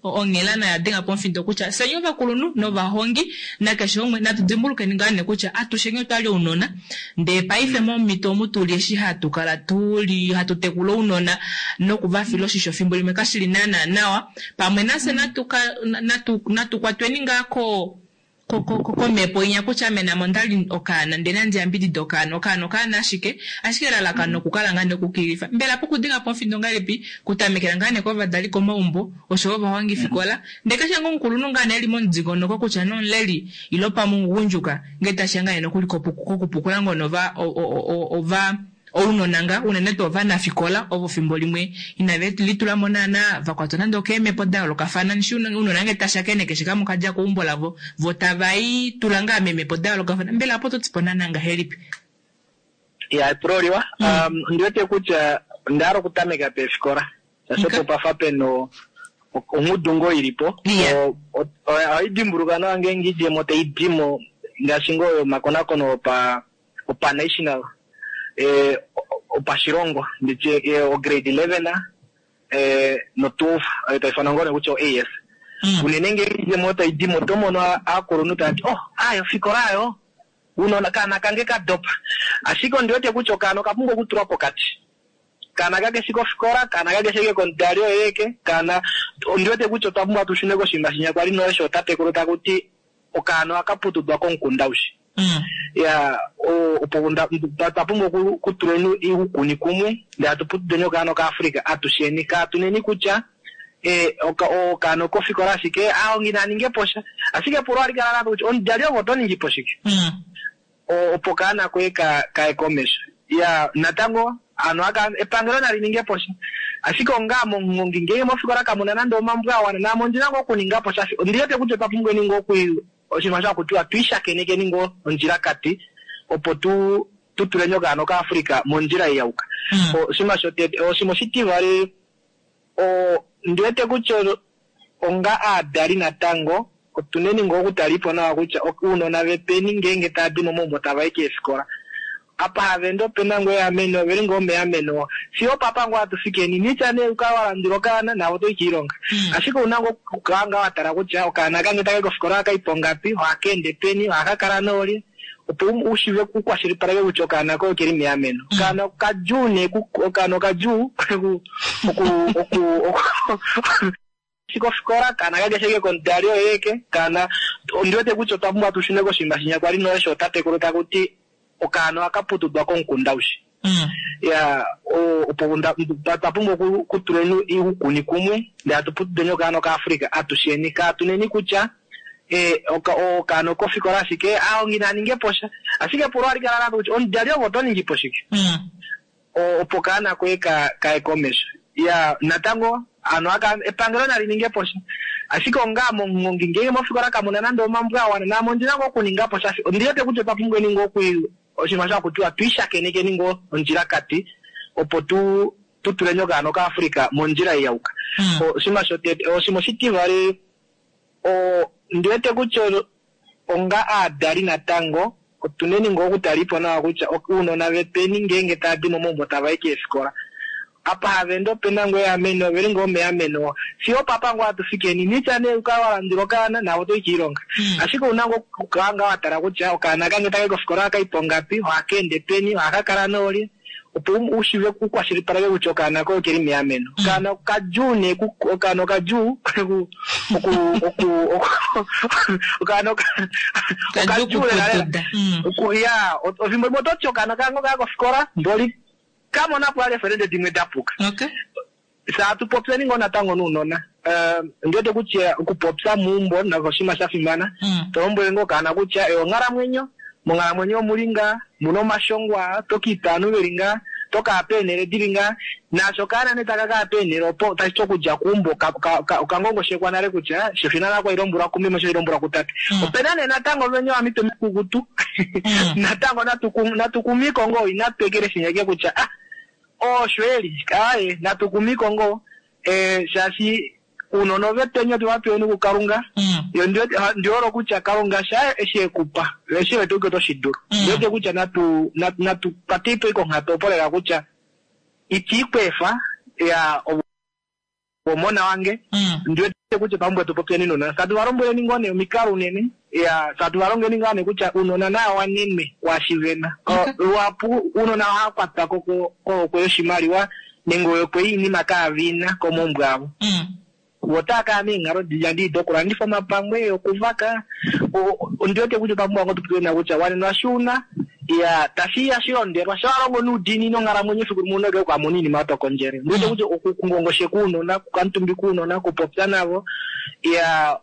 onghela nayo ya denga po omufindo kutya fyeni ovakulunhu novahongi nakeshe umwe natu dimbulukeni ngaa nee kutya atusheni otwali ounona ndee paife momhito omu tuli eshi hatu kala tuli hatu tekula ounona noku va fila oshisho fimbo limwe kashili naana nawa pamwe nafye natu natu natu kwatweni ngaa ko komhepo inya kutya ame name ondali okaana ndee nandi yambidide okaana. Okaana okaana ashike, ashike elalakano okukala ngaa nee okukilifa. Mbela pokudenga po omufindo ongahelipi? Kutamekela ngaa nee kovadali komaumbo oshoyo ovahongifikola ndee keshe ngoo omukulunhu ngaa nee eli momudingonoko kutya nee omuleli ile pamwe omugundjuka ngee tashiya ngaa nee nokuli kokupukula ngoo nee ova Ounona nga, unene tuu ovanafikola ovo fimbo limwe inave litula mo naana va kwatwa nande okeemhepo da yoolokafana. Ndishi ounona nge ta shakene keshe kamwe oka dja keumbo lavo, vo tava i tula ngaa meemhepo da yoolokafana. Mbela opo to ti po naana ngahelipi? Ya, epulo oliwa. Ondi wete kutya onda hala okutameka peefikola, shaashi opo pa fa pe na ongudu ngoo i li po. Ohai dimbuluka nawa ngeenge oidjemo tai di mo, ngaashi ngoo yomakonakono opa opanational, opashilongo, nditye ograde 11 no 12 oyo tai ifanwa ngoo nee kutya o-AS. Unene ngeenge oidjemo oyo tai di mo, oto mono aakulunhu tava ti, oh, aaye ofikola aayo, uunona, okaana kange ka dopa. Ashike ondi wete kutya okaana oka pumbwa okutulwa pokati. Okaana kakeshi kofikola, okaana kakeshi ashike komudali oye aeke, okaana, ondi wete kutya otwa pumbwa tu shune koshinima shinya kwali nale shootatekulu taku ti, okaana ohaka putudwa komukunda aushe. Ya, opo twa pumbwa okutuleni uukuni kumwe ndele hatu putudeni okaana okaAfrica atusheni. Kaatuneni kutya okaana okofikola ashike aahongi naa ninge po sha. Ashike epulo ohali kala lafa kutya omudali ove oto ningi po shike opo okaana koye kaye komesho. Ya, natango hano epangelo nali ninge po sha. Ashike onga ame omuhongi ngeenge mofikola kamu na nande omambo a wana naame ondi na ngoo okuninga po sha. Ondi wete kutya otwa pumbweni ngoo oku Oshinima osho haku tiwa tu ishakenekeni ngoo ondjilakati opo tu tu tuleni okaana okaAfrica mondjila ei ya yuka. Oshinima shotete. Oshinima oshitivali, ondi wete kutya onga aadali natango otuneni ngoo okutalipo nawa kutya uunona vepeni ngeenge tava di momaumbo tava i keefikola. Apa hava ende ope na ngoo eameno, ove li ngoo meameno. Fiyo opapa ngoo hatu fikeni. Nitya nee u kale wa landula okaana, naave oto i kiilonga. Ashike ou na ngoo okukala ngaa wa tala kutya okaana kange taka i kofikola ohaka i pongapi, ohaka ende peni, ohaka kala noolye, opo u shiive u kwashilipaleke kutya okaana koye oke li meameno. Okaana okadjuu nee, okaana okadjuu oku, oku, oku, Kofikola, kaana kakeshi ashike komudali oye aeke, kaana, ondi wete kutya otwa pumbwa tu shune koshinima shinya kwali nale shootatekulu taku ti okaana ohaka putudwa komukunda aushe. Ya, opo twa pumbwa okutuleni uukuni kumwe ndele hatu putudeni okaana okaAfrica atusheni. Kaatuneni kutya okaana okofikola ashike, aahongi naa ninge po sha. Ashike epulo ohali kala lafa kutya omudali ove oto ningi po shike? Opo okaana koye ka kaye komesho. Ya, natango hano aka, epangelo nali ninge po sha. Ashike onga ame omuhongi, ngeenge mofikola kamu na nande omambo a wana, naame ondi na ngoo okuninga po sha. Ondi wete kutya otwa pumbweni ngoo oku, oshinima osho haku tiwa tu ishakenekeni ngoo ondjilakati, opo tu, tu tuleni okaana okaAfrica mondjila ei ya yuka. Oshinima shotete. Oshinima oshitivali, ondi wete kutya onga aadali natango otuneni ngoo okutalipo nawa kutya uunona vepeni ngeenge tava di momaumbo tava i keefikola. Apa hava ende ope na ngoo eameno, ove li ngoo meameno. Fiyo opapa ngoo hatu fikeni. Nitya nee u kale wa landula okaana, naave oto i kiilonga. Ashike ou na ngoo okukala ngaa wa tala kutya okaana kange taka i kofikola ohaka i pongapi, ohaka ende peni, ohaka kala noolye. Opo u shiive u kwashilipaleke kutya okaana koye okeli meameno. Okaana okadjuu nee ku, okaana okadjuu oku, oku, oku, okaana okadjuu lela lela. Oku, ya, efimbo limwe oto ti okaana kange okaya kofikola, mboli ka mona po eefelende dimwe da puka. Fye hatu popyeni ngoo natango nounona. Ondi wete kutya okupopya meumbo nako oshinima sha fimana. To lombwele ngoo okaana kutya eyi onghalamwenyo, monghalamwenyo omu li ngaa, mu na omashongo aa, oto ka itwa ovanhu ve li ngaa, oto ka ya peenhele di li ngaa. Naashi okaana nee taka ka ya peenhele opo, tashi ti okudja keumbo oka ngongoshekwa nale kutya xo ina nale lombwelwa kumeme osho lombwelwa kutate. Ope na nee natango venya ovamitwe mikukutu. Natango natu kumiko ngoo, inatu ekeleshi ashike kutya ah! Osho eli, aaye, natu kumiko ngoo, eh, shaashi uunona ovetweni otwe va peweni kuKalunga. Yo ndi wete, ndi hole kutya Kalunga sha eshi e ku pa, eshi e wete kutya oto shi dulu. Ndi wete kutya natu, natu, natu kwatei po konghatu opo lela kutya Itiikweefa ya omona wange ndi wete kutya pamwe tu popyeni nounona satu va lombweleni ngoo nee omikalo unene ya satu va longeni ngaa nee kutya uunona naya wanenwe kwaashi vena. Luhapu uunona ohava kwatwa ko kohokwe yoshimaliwa nenge ohokwe yoinima kaavina komaumbo avo. Vo otava kala meenghalo dii dokulandifa omapangwe, yokuvaka. Ondi wete kutya otwa pumbwa ngoo tu popye nawa kutya wanenwa shi una, ya tashi ya shilondelwa. Sha wa longo noudiinini onghalamwenyo efiku limwe ouna oku ka mona oinima oyo to kondjele. Ondi wete kutya okungongosheka ounona, okukamutumbika ounona, okupopya navo, ya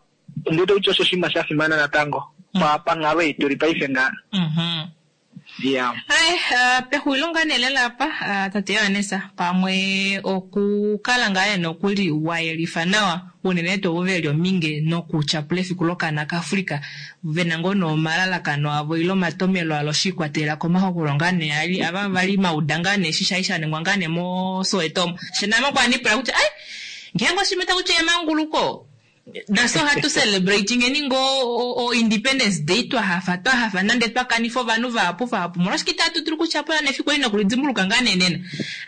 ondi wete kutya osho oshinima sha fimana natango panghalo ei tuli paife ngaha. Yeah. Hai, pexulilo ngaa nee lela apa, tate Johannes, pamwe okukala ngaa nee nokuli wa yelifa nawa unene tuu ovo ve li ominge nokutyapula efiku lokaana kaAfrica, ve na ngoo nee omalalakano avo ile omatomelo alo shi ikwatelela komahokololo ngaa nee ali ava vali mauda ngaa nee eshi shali sha ningwa ngaa nee moSoweto omo. She name okwa nipula kutya ai, ngeenge oshinima taku tiwa emanguluko, Nafye ohatu celebratingeni ngoo o Independence Day twa hafa twa hafa nande twa kanifa ovanhu vahapu vahapu. Omolwashike itatu dulu okutyapula nefiku eli nokulidimbuluka ngaa nee nena?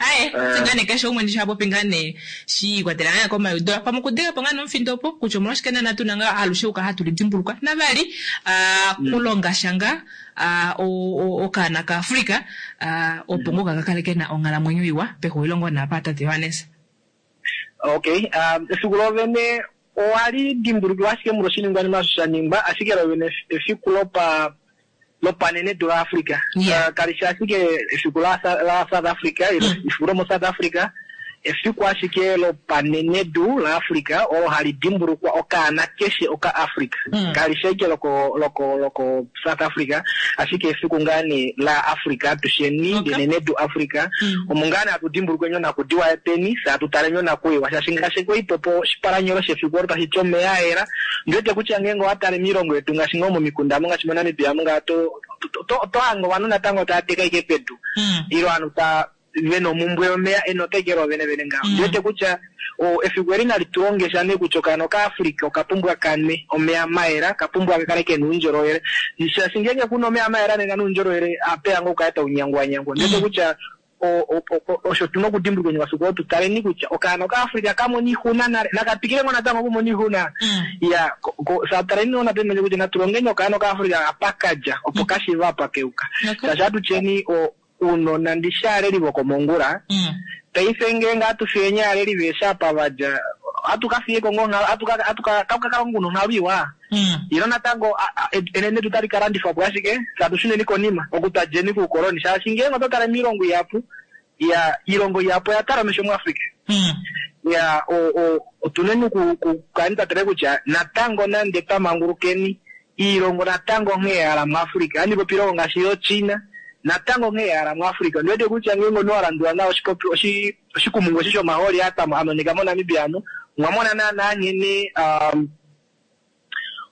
Aaye, fye ngaa nee keshe umwe ndishi ha popi ngaa nee shi ikwatelela ngaa nee komaiudo. Pamwe okudega po ngaa nee omufindo opo kutya omolwashike naana tuna ngaa alushe okukala hatu lidimbuluka. Navali, kulonga sha ngaa okaana kaAfrica opo ngoo ka kale kena onghalamwenyo iwa pexulilo ngoo nee apa tate Johannes. Okay, um, efiku lovene owali dimbulukiwa ashike molwa oshiningwanima osho sha ningwa, ashike lovene efiku lopa lopanenedu laAfrica. Yeah. Kali fi ashike efiku la, la South Africa, ilo efiku lomoSouth Africa, efiku ashike lopanenedu laAfrica olo hali dimbulukwa okaana keshe okaAfrica. Kali fi ashike loko, loko, loko South Africa, ashike efiku ngaa nee la Africa atusheni, lenenedu Africa, omo ngaa nee hatu dimbulukweni onakudiwa yetweni, fye hatu taleni onakuyiwa, shaashi ngaashi kwali popo oshipalanyolo shefiku olo tashi ti omeya a yela, ondi wete kutya ngeenge owa tale miilongo yetu ngaashi ngoo momikunda omu ngaashi moNamibia omu ngaa oto, oto, oto hange ovanhu natango tava teka ashike pedu, ile ovanhu ta, ve na omumbwe yomeya, enota ashike loovene vene ngaho. Ondi wete kutya o, efiku eli nali tu longe sha nee kutya okaana okaAfrica oka pumbwa ka nwe omeya mayela, ka pumbwa ka kale ke na oundjolowele. Shaashi ngeenge ku na omeya mayela nena noundjolowele apeya ngoo okukala tau nyangwanyangwa. Ondi wete kutya o, o, o, osho tu na okudimbulukweni omafiku oo tu taleni kutya okaana okaAfrica ka mona oixuna nale, naka twikile ngoo natango okumona oixuna. Iya, ko, ko, sa taleni ngoo natango kutya natu longeni okaana okaAfrica apa ka dja, opo ka shiive apa ka yuka. Shaashi atutyeni o, Uunona ndishi aaleli vokomongula, paife ngeenge ohatu fiyeni aaleli veeshi apa va dja, ohatu ka fiyeko ngoo onghalo, ohatu ka, ohatu ka, taku ka kala ngoo kuna onghalo iwa? Ilo natango enenedu otali ka landifwa po ashike, fye hatu shuneni konima, oku twa djeni koukoloni, shaashi ngeenge oto tale miilongo ihapu, ya, iilongo ihapu oya tala omesho muAfrica. Ya, o, o, otuneni oku, ku kala twa tale kutya natango nande twa mangulukeni, Iilongo natango onghee ya hala muAfrica. Ohandi popi iilongo ngaashi yooChina, natango onghee ya hala muAfrica. Ondi wete kutya ngeenge omunhu wa landula nawa oshipopi oshi oshikumungu eshi shomahooli aa twa a monika moNamibia amu, omwa mona naanaa nghene um,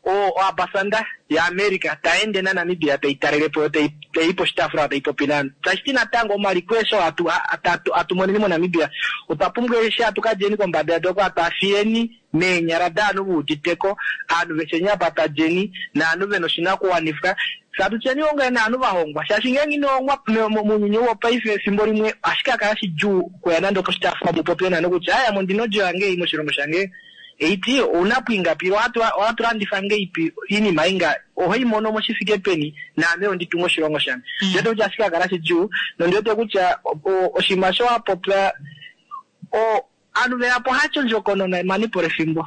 o oambasanda yaAmerica tai ende naNamibia tai talele po yo tai tai i poshitaafula tai popi naanhu. Tashi ti natango omaliko eshi oo hatu hatu hatu moneni moNamibia otwa pumbwa eshi hatu ka djeni kombada yedu oko hatu a fiyeni meenyala daanhu ve udite ko, aanhu vehe nyapata lyeni, naanhu ve na oshinakuwanifwa. Fye atu tyeni onge naanhu va hongwa, shaashi ngeenge ino hongwa mounyuni ou wopaife, efimbo limwe ohashi ka kala shidjuu okuya nande oposhitaafula mu popye naanhu kutya, Aaye, ame ondi na odjo yange ei moshilongo shange, ei ti ou na po ingapi, ile ohatu landifa ngeipi oinima ei nga, oho i mono mo shi fike peni, naame ondi tunge oshilongo shange. Ondi wete kutya ohashi ka kala shidjuu, nondi wete kutya oshinima osho wa popya, o. Aanhu veyapo hacho ondjokonona emanipo lefimbo.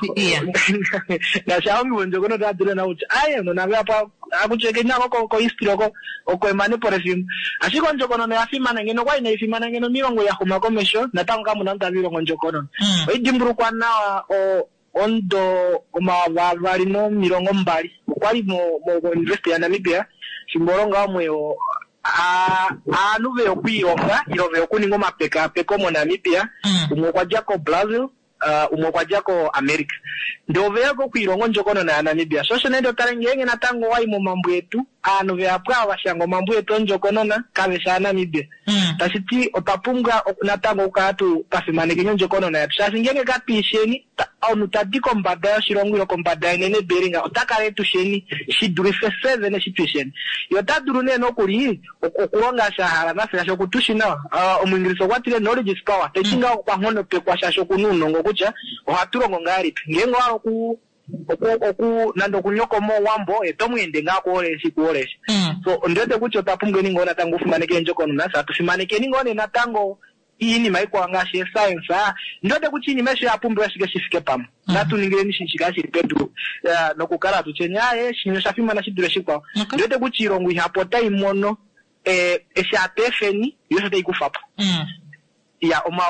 Ngaashi aahongi vondjokonona otava dulu nawa kutya aye nona veyapo akutyeke nako ko ko history oko oko emanepo lefimbo. Ashike ondjokonona oya fimana ngeno okwali inai fimana ngeno miilongo ya xuma komesho natango kamuna omunhu tava ilongo ondjokonona. Oi dimbulukwa nawa o omudo 2020 okwali mo mo University ya Namibia fimbo olo ngaho mweyo aanhu veya okwiilonga ilo veya okuninga omapekaapeko moNamibia, umwe okwa dja koBrazil, umwe okwa dja koAmerica. Ndee oveya okwiilonga ondjokonona yaNamibia. Sho osho nee to tale ngeenge natango owa i momambo etu. Aanhu vehapu ava vashanga omambo etu ondjokonona kaveshi aaNamibia. Tashi ti otwa pumbwa natango okukala tu twa fimanekeni ondjokonona yetu shaashi ngeenge katwiisheni omunhu tadi kombada yoshilongo ile kombada yenene Beringa ota kala etusheni shi dulife fye vene eshi twiisheni. Ye ota dulu nee nokuli okulonga eshi a hala nafye shaashi oku tu shi nawa. Omuingilisa okwa tile knowledge is power. Tashi ti ngaho okwa nghonopekwa shaashi oku na ounongo kutya ohatu longo ngahelipi. Ngeenge owa hala oku oku oku nande okunyokoma Owambo ye to mu ende ngaa kuhole eshi kuhole eshi. So ondi wete kutya otwa pumbweni ngoo natango okufimaneka eendjokonona fye hatu fimanekeni ngoo nee natango iinima ikwao ngaashi eescience. Ondi wete kutya iinima aishe oya pumbiwa ashike shi fike pamwe. Natu ningileni shi shikale shili pedu nokukala hatu tyeni aaye shinya osha fimana shi dule shikwao. Ondi wete kutya iilongo ihapu otai mono eshi hatu efeni yo osho tai kufa po. Ya, oma,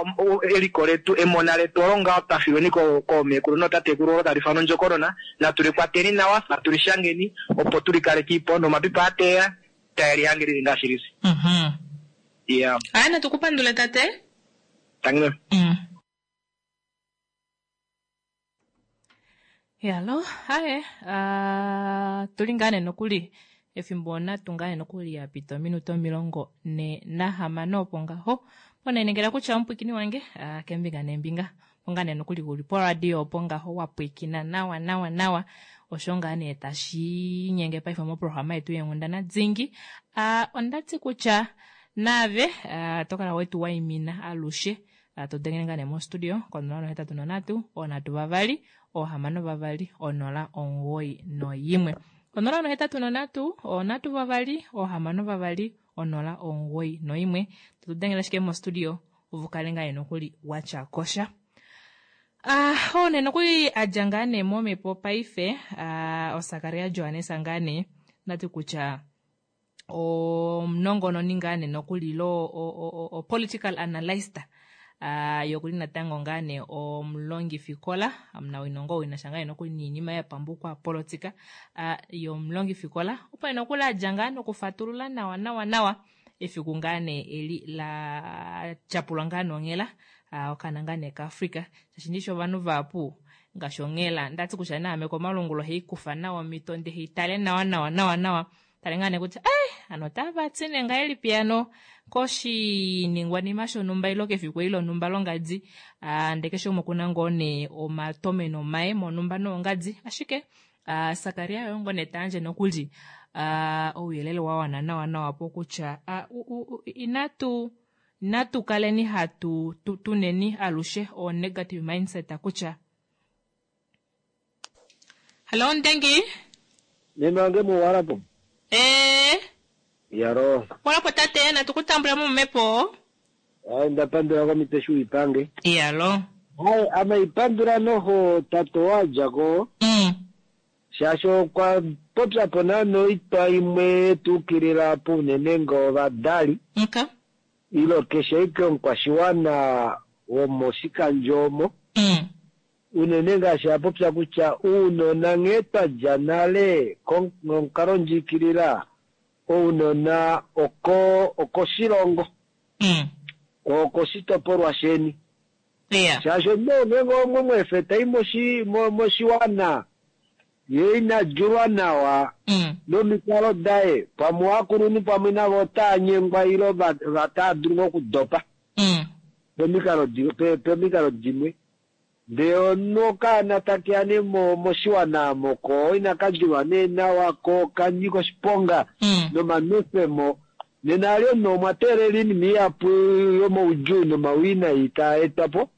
eliko letu, emona letu olo ngaho twa filweni ko, koomeekulu nootatekulu olo tali ifanwa ondjokonona. Natu li kwateni nawa, natu li shangeni opo tu li kalekei po nomapipi aa tae ya, tae li hange lili ngaashi lili. Ya. Aye, natu ku pandule tate. Tangi meme. Yalo, aye, uh, tuli ngaa nee nokuli efimbo onatu ngaa nee nokuli ya pita ominute 46 opo ngaho ponenengela kutya omupwikini wange uh, kembinga nembinga opo ngaa nee nokuli uli poradio opo ngaho wa pwikina nawa nawa nawa osho ngaa nee tashi inyenge paife moprograma yetu yeenghundana dingi uh, onda ti kutya naave uh, to kala wetu waimina alushe To dengele ngaa nee mostudio ko 083 3 6 2 091. 083 3 6 2 091. To tu dengele ashike mostudio ove kale ngaa nee nokuli wa tya kosha. Ah, oo nee nokuli a dja ngaa nee momhepo paife, ah, oSakaria Johannes ngaa nee, ndati kutya omunongononi ngaa nee nokuli lo o political analyst uh, yokuli natango ngaa nee omulongifikola omunawino ngoo wina sha ngaa nee nokuli niinima ya pamba politika uh, yomulongifikola opo nokuli a dja ngaa nokufatulula nawa nawa nawa efiku ngaa nee eli la tyapulwa ngaa nonghela uh, okana ngaa nee kaAfrica shaashi ndishi ovanhu vahapu ngaashi onghela ndati kutya naame komalungula ohei kufa nawa omito nde hei tale nawa nawa nawa nawa Tale ngaa nee kutya eh, ano otava ti nee ngahelipi ano koshiningwanima shonhumba ilo kefiku eli lonhumba longadi. Ah, ndee keshe umwe okuna ngoo nee omatomeno maye monhumba noongadi. Ashike ah, Sakaria oye ngoo nee ta yandje nokuli ah, ouyelele wa wana nawa nawa po kutya ah, u, u, u, inatu inatu kaleni hatu tu, tuneni alushe o negative mindset kutya Hallo Ndengi. Meme wange muwalapo. Eh. Yaro. Walapo tate natu kutambula momepo. Ai ndapandula komitwe shu ipange. Yalo. Ai ama ipandula noho tato wadja ko. Shaashi okwa popya po naana oitwa imwe yetuukilila po unene ngoo ovadali. Okay. Ilo keshe ashike omukwashiwana womoshikandjo omo. Unene ngaashi a popya kutya uunona nghee twa dja nale nomukalondjiikilila ounona oko okoshilongo, okoshitopolwa sheni. Shaashi omunhu ngeenge omwe mu efe tai moshiwana ye ina djulwa nawa nomikalo daye, pamwe ovakulunhu pamwe navo otava nyengwa ile otava dulu ngoo okudopa pomikalo dimwe. Ndee omunhu okaana takeya nee moshiwana omo ko inaka djulwa nee nawa ko okanyika oshiponga nomanwefemo, nena ali omunhu omwa teelela oinima ihapu yomaudjuu nomawinayi taa etwa po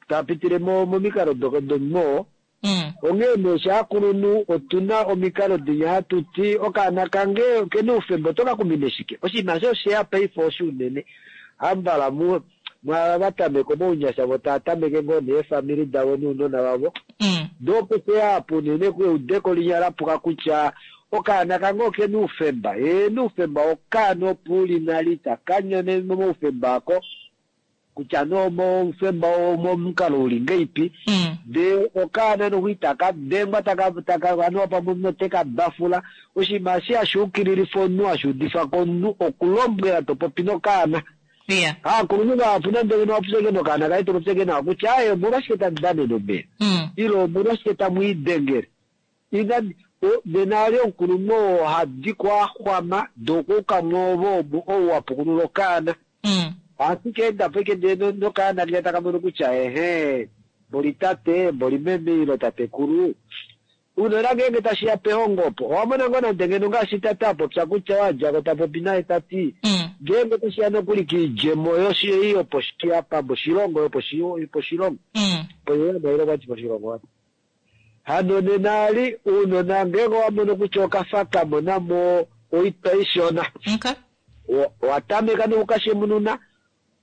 taa pitile momikalo domunhu oo. Onghee nee sha akulunhu otu na omikalo dinya hatu ti okaana kange okena oufemba oto ka kumine shike? Oshinima eshi osheya paife oshi unene hambala mwaava va tameka omounyasha vo tava tameke ngoo neefamili davo nounona vavo. Ndee opo sheya apa unene eudeko linya la puka kutya okaana kange okena oufemba. Heeno oufemba wokaana opo uli nale itaka nyone momaufemba ako. Kutya nee omoufemba omomukalo uli ngeipi, ndee okaana noho itaka dengwa taka taka anuwa pamwe omunhu ote ka bafula. Oshinima eshi hashi ukililifa omunhu hashi udifa ko omunhu okulombwela to popi nokaana. Aakulunhu vahapu nande ngeno wa popya ashike nokaana kaye to popya ashike nawa kutya aaye omolwashike tamu danene omeya ile omolwashike tamu idengele. Ina Nena ali omukulunhu oo hadi ko a xwama ndee okwa uka mwoove omu ou wa pukulula okaana. Ohatu ka enda po ashike ndee nokaana kinya taka mono kutya ehee mboli tate, mboli meme ile tatekulu. Uunona ngeenge tashi ya pehongo opo, owa mona ngoo nande ngeno ngaashi tate a popya kutya wa dja ko ta popi naye ta ti, ngeenge tashi ya nokuli kiidjemo ei yoposhi apa moshilongo, yoposhilongo, poyeyana ile okwa ti poshilongo apa. Hano nena ali uunona ngeenge owa mono kutya okafa ka mona mo oitwa ishona, owa tameka nokukashemununa,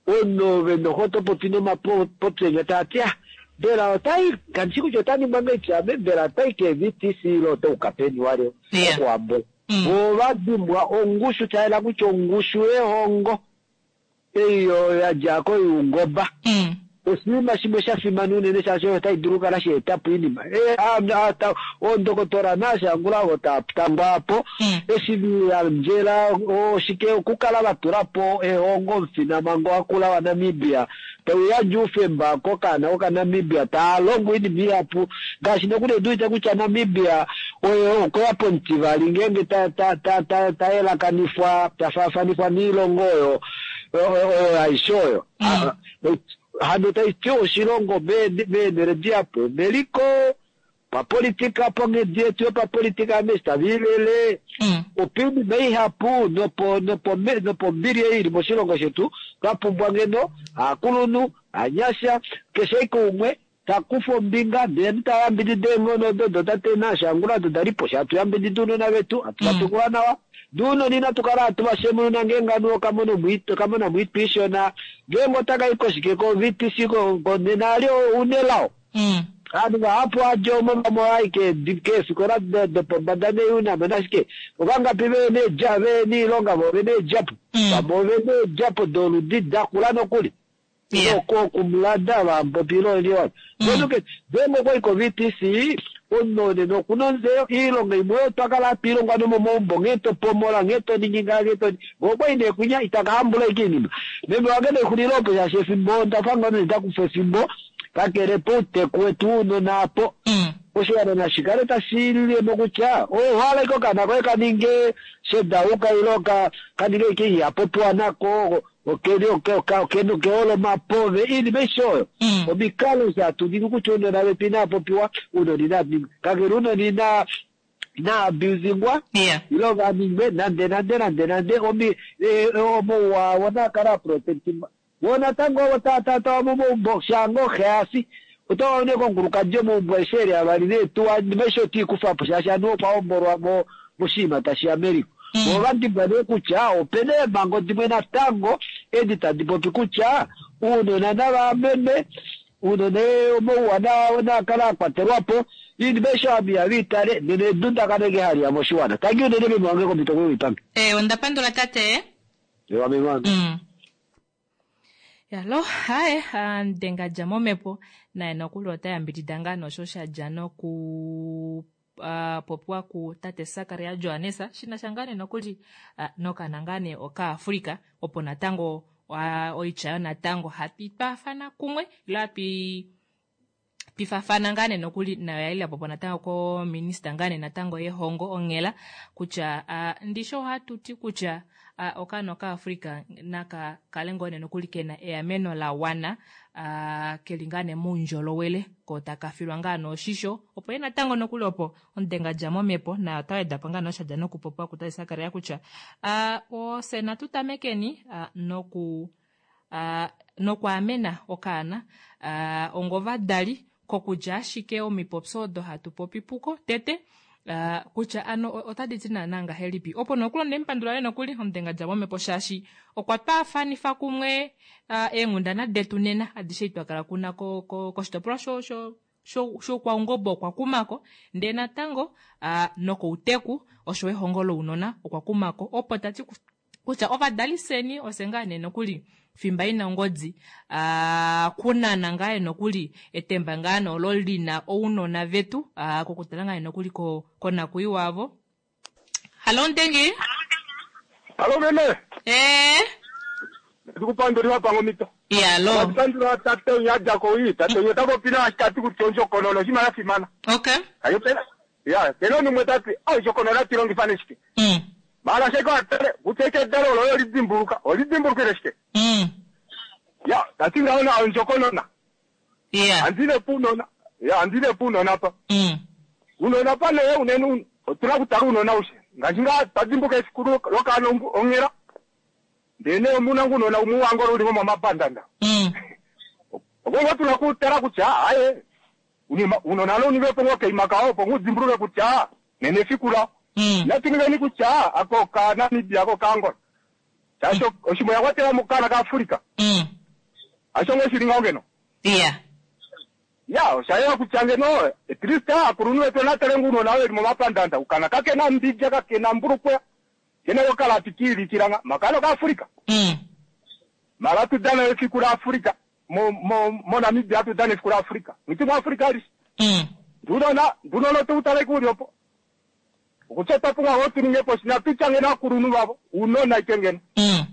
omunhu noho oto popi nomapopyenya taa ti, ah, mbela otai, kandi shi kutya ota ningwa ngahelipi ame, mbela otai ke-VTC ile otauka peni walyo okuhambula. Vo ova dimbwa ongushu, sha yela kutya ongushu yehongo ei ya dja koiungoba oshinima shimwe sha fimana unene, shaashi oyo otai dulu okukala sha eta po oinima. Oondokotola naashangula ovo tangwa apo eshi viyandjela oshike okukala va tula po ehongo omufinamhango wakula waNamibia tau yandje oufemba kokaana kokaNamibia taa longo oinima ihapu, ngaashi nokuli ondi wete kutya Namibia oye okweya pomutivali ngeenge ta yelakanifwa, ta faafanifwa noilongo oyo oyo aishe oyo. Hano tai ti oshilongo meenhele dihapu omeliko papolitika, ponghedi yetu yopapolitika ameshi tava ilele opiinima ihapu nopombili ei ili moshilongo shetu. Twa pumbwa ngeno aakulunhu, anyasha, keshe ashike umwe ta kufa ombinga ndele ta yambidida eenghono odo dotate naashangula odo da li po, hatu yambidida ounona vetu, hatu va tekula nawa. Ounona inatu kala hatu va shemununa ngeenge anuwa okamona moitwa ishona, ngeenge otaka i koshike ko-VTC nena ali ounelao. Ovanhu vahapu ohadja omo vamwe ohava i keefikola dopombada neeUNAM nashike, ovangapi vehena oilonga vo ovena eedjapo, vamwe ovena eedjapo doludi dakula nokuli. Okumulada vampopi ile ngeenge okwa i ko-VTC omunhu nena okuna ontseyo iilonga imwe oyo twa kala hatu ilongwa nomomaumbo, nghee to pomola, nghee to ningi ngaha, nghee to ningi. Okwa i nee kwinya itaka hambula ashike oinima. Meme wange nexulilo opo shaashi efimbo onda fa ngoo nda kufa efimbo kakele pouteku wetu wounona apo. Oshiwana nashi kale tashi lilemo kutya owa hala ashike okaana koye ka ninge shedauka ile ka ninge ashike ihapopiwa nako, kehole omapove, oinima aishe oyo. Omikalo eshi hatu ningi kutya ounona vetu inava popiwa, ounona inava ningwa. Kakele ounona ina abusingwa ile va ningwe nande nande nande nande omauwa avo naa kale a protectingwa. Vo natango ovo tava momaumbo shaanga oxe asi, otava ne komukulukadi omaumbo aeshe eli avali neetuwa, oinima aishe otii kufa po shaashi anuwa okwa hombolwa moshinima tashi ya meliko. Vo ova dimbwa nee kutya opena eemhango dimwe natango edi tadi popi kutya ounona nava amenwe, ounona omauwa naa kale a kwatelwa po, oinima aishe ovanhu ihava itale, nena edundakano eke hali ya moshiwana. Tangi unene meme wange komhito koipange. Onda pandula tate. Ewa meme wange. Yalo, haye, ndenga dja momhepo, naye nokuli ota yambidida ngaa nosho sha dja noku popiwa ku tate Sakaria Johannes shina sha ngaa nee nokuli nokana ngaa nee okaAfrika, opo natango oitya yo natango hatu twaafana kumwe ile hatu twifafana ngaa nee nokuli nayo yali yapopiwa natango kominista ngaa nee natango yehongo onghela kutya ndisho ohatu ti kutya okaana okaAfrika naka kale ngoo nee nokuli kena eameno la wana, keli ngaa nee moundjolowele ko taka filwa ngaa nee oshisho, opo ye natango nokuli opo omudenga dja momhepo naye ota weda po ngaa nee osha dja nokupopiwa kutate Sakaria kutya ofye natu tamekeni noku nokwaamena okaana ongovadali kokudja ashike omipopyo odo hatu popi puko tete kutya ano otadi ti naana ngahelipi, opo nokuli onde mupandula nokuli omudenga dja momhepo shaashi okwa twaafanifa kumwe eenghundana detu nena adishe twakala kuna koshitopolwa shoukwaungoba okwa kumako, ndee natango nokouteku osho ehongo lounona okwa kumako, opo tati kutya ovadali seni ofye ngaa nee nokuli fimba ina ongodi kunana ngaa nokuli etemba ngaa nee olo lina ounona vetu kokutala ngaa nokuli konakuyiwa avo. Halo Ndengi. Halo meme. Ndikupandulila pangomito. Yalo. Ndikupandula tate unyadja ko wi, tate unya ota popi nawa tati kutya ondjokonona oshinima sha fimana. Okay. Ayo pena. Ya, kena omunhu umwe tati, ondjokonona atu i longifa nee shike? Maala ashike watale kutya eke edalo olo oyo lidimbuluka, olidimbulukile shike? Ya, tati ngaho na ondjokonona. Andile puunona. Ya, andile puunona pa. Uunona pa nee unene otuna okutala uunona aushe. Ngaashi ngaa twa dimbuka efiku lokaana onghela, ndele nee omuna ngu uunona umwe waAngola uli ngomomapandanda. Oko ngoo tuna okutala kutya aye, uunona lo uninge po ngoo okaima kao opo ngoo udimbuluke kutya nena efiku lao. Natu ningeni kutya ako okaNamibia ako okaAngola. Shaashi oshimwe oya kwatela mo okaana kaAfrica. Hasho ngoo shili ngaho ngeno? Ya, osha yela kutya ngeno at least aakulunhu vetu onatale ngoo uunona veli momapandanda. Ukana kakena mbidja, kakena mbulukweya, kena okalapi kiilikila nga. Makana okaAfrica. Mara atu dana efiku laAfrica. Mo, mo, moNamibia atu dana efiku laAfrica. Ngiti muAfrica alishe. Ndunona, ndunona otu tale uli opo. Okutya otwa pumbwa ngoo tu ninge po natu tya ngeno aakulunhu vavo, uunona ike ngeno.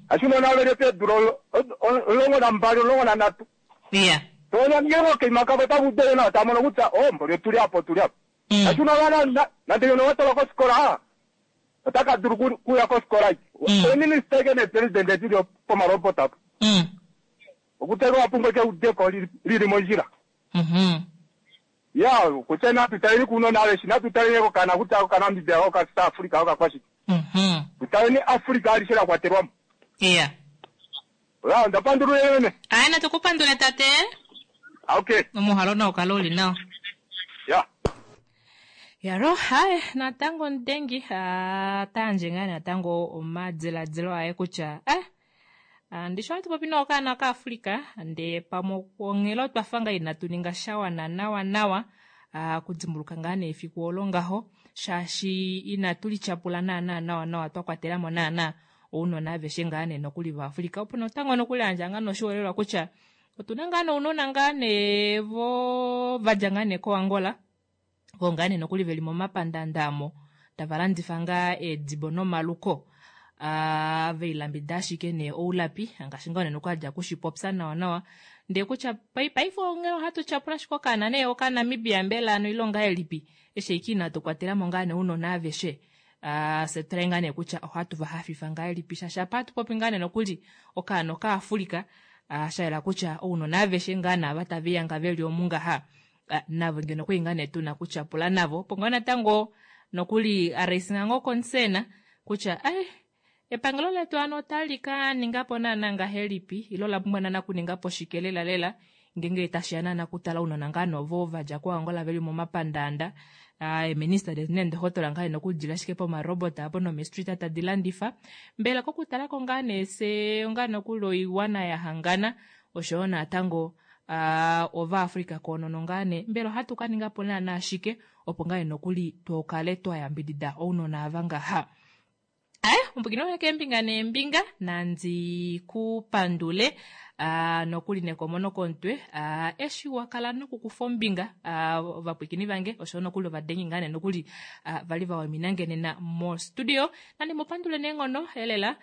Ashi uunona veli peedula 12, 13. Toona ngenge okaima kavo otava udele nawa, tava mono kutya, oh, mboli otuli apa, otuli apa. Ashi uunona nande ngeno wa twalwa kofikola, otaka dulu kuya kofikola ike. Ominister ike neepresident dili pomarobot apa. Okutya ike owa pumbwa ike eudeko lili mondjila. Ya, kutya natu taleni kuunona aveshe, natu taleni kokana kutya okaNamibia, okaSouth Africa, okakwashike. Tu taleni Africa alishe la kwatelwa mo. Ya, onda pandula unene meme. Aye, natu ku pandule tate. Okay. Omuhalo nau kale uli nawa. Ya. Yaro, haye, natango omudengi, ota yandje ngaa natango omadiladilo aye kutya, eh, Ndishi ohatu popi nookaana kaAfrica ndee pamwe onghela otwa fa ngaa inatu ninga sha wana nawa nawa okudimbuluka ngaa nee efiku olo ngaho shaashi inatu lityapula naana nawa nawa twa kwatela mo naana ounona aveshe ngaa nee nokuli vaAfrica opo natango nokuli yandja ngaa noshiholelwa kutya otuna ngaa nounona ngaa nee vo vadja ngaa nee koAngola vo ngaa nee nokuli veli momapandanda amo tava landifa ngaa eedibo nomaluko uh, veilambida ashike nee oulapi ngaashi ngaa unene okwadja kushipopya nawa nawa ndee kutya paife onghee ohatu tyapula ashike okaana nee okaNamibia mbela ano ilonga elipi eshi ike inatu kwatela mo ngaa nee ounona aveshe uh, fye tutale ngaa nee kutya ohatu va hafifa ngahelipi shaashi apa hatu popi ngaa nee nokuli okaana okaAfrika uh, sha yela kutya ounona aveshe ngaa naava tave liyanga veli omu ngaha Ah, navo ngeno okuli ngaa nee tuna kutyapula navo opo ngaa natango nokuli a raising ngoo concern kutya ai epangelo letu ano otali ka ninga po naana ngahelipi ile ola pumbwa naana kuninga po shike lela lela ngeenge tashi ya naana kutala ounona ngaa novo va dja koAngola veli momapandaanda eeminista detu neendohotola ngaa ena okudila ashike pomarobot apo nomestreet tadi landifa mbela kokutala ko ngaa nee fye ongaa nokuli oiwana ya hangana oshoyo natango Ovaafrika koonono ngaa nee, mbela ohatu ka ninga po naanaa shike opo ngaa nee nokuli tu kale twa yambidida ounona ava ngaha? Aye, ombukini wange keembinga neembinga, nandi ku pandule nokuli nekomono komutwe eshi wa kala nokukufa ombinga ovapwiikini vange oshoyo nokuli ovadengi ngaa nee nokuli vali va waimina nge nena mostudio. Nandi mu pandule neenghono elela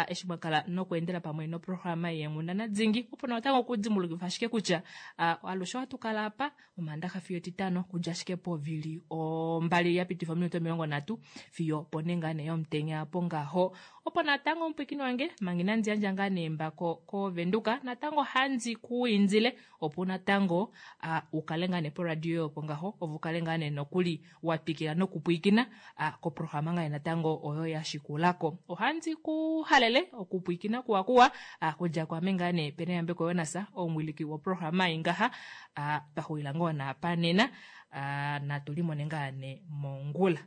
eshi mwa kala nokweendela pamwe noprograma yeenghundana dingi opo natango okudimbulukifa ashike kutya alushe ohatu kala apa omaandaxa fiyo etitano kudja ashike povili ombali ya pitifa ominute 30 fiyo pone ngaa nee yomutenya apo ngaho. Opo natango omupwikini wange manga inandi yandja ngaa nee embako koVenduka natango handi ku indile opo natango u kale ngaa nee poradio opo ngaho ove u kale ngaa nee nokuli wa twikila nokupwiikina koprograma ngaa natango oyo ya shikulako. Ohandi ku halele okupwiikina kuwa kuwa kudja kwame ngaa nee Peneyambeko Jonas omuwiliki woprograma ei ngaha twa xulila ngoo naapa nena natu limone ngaa nee mongula.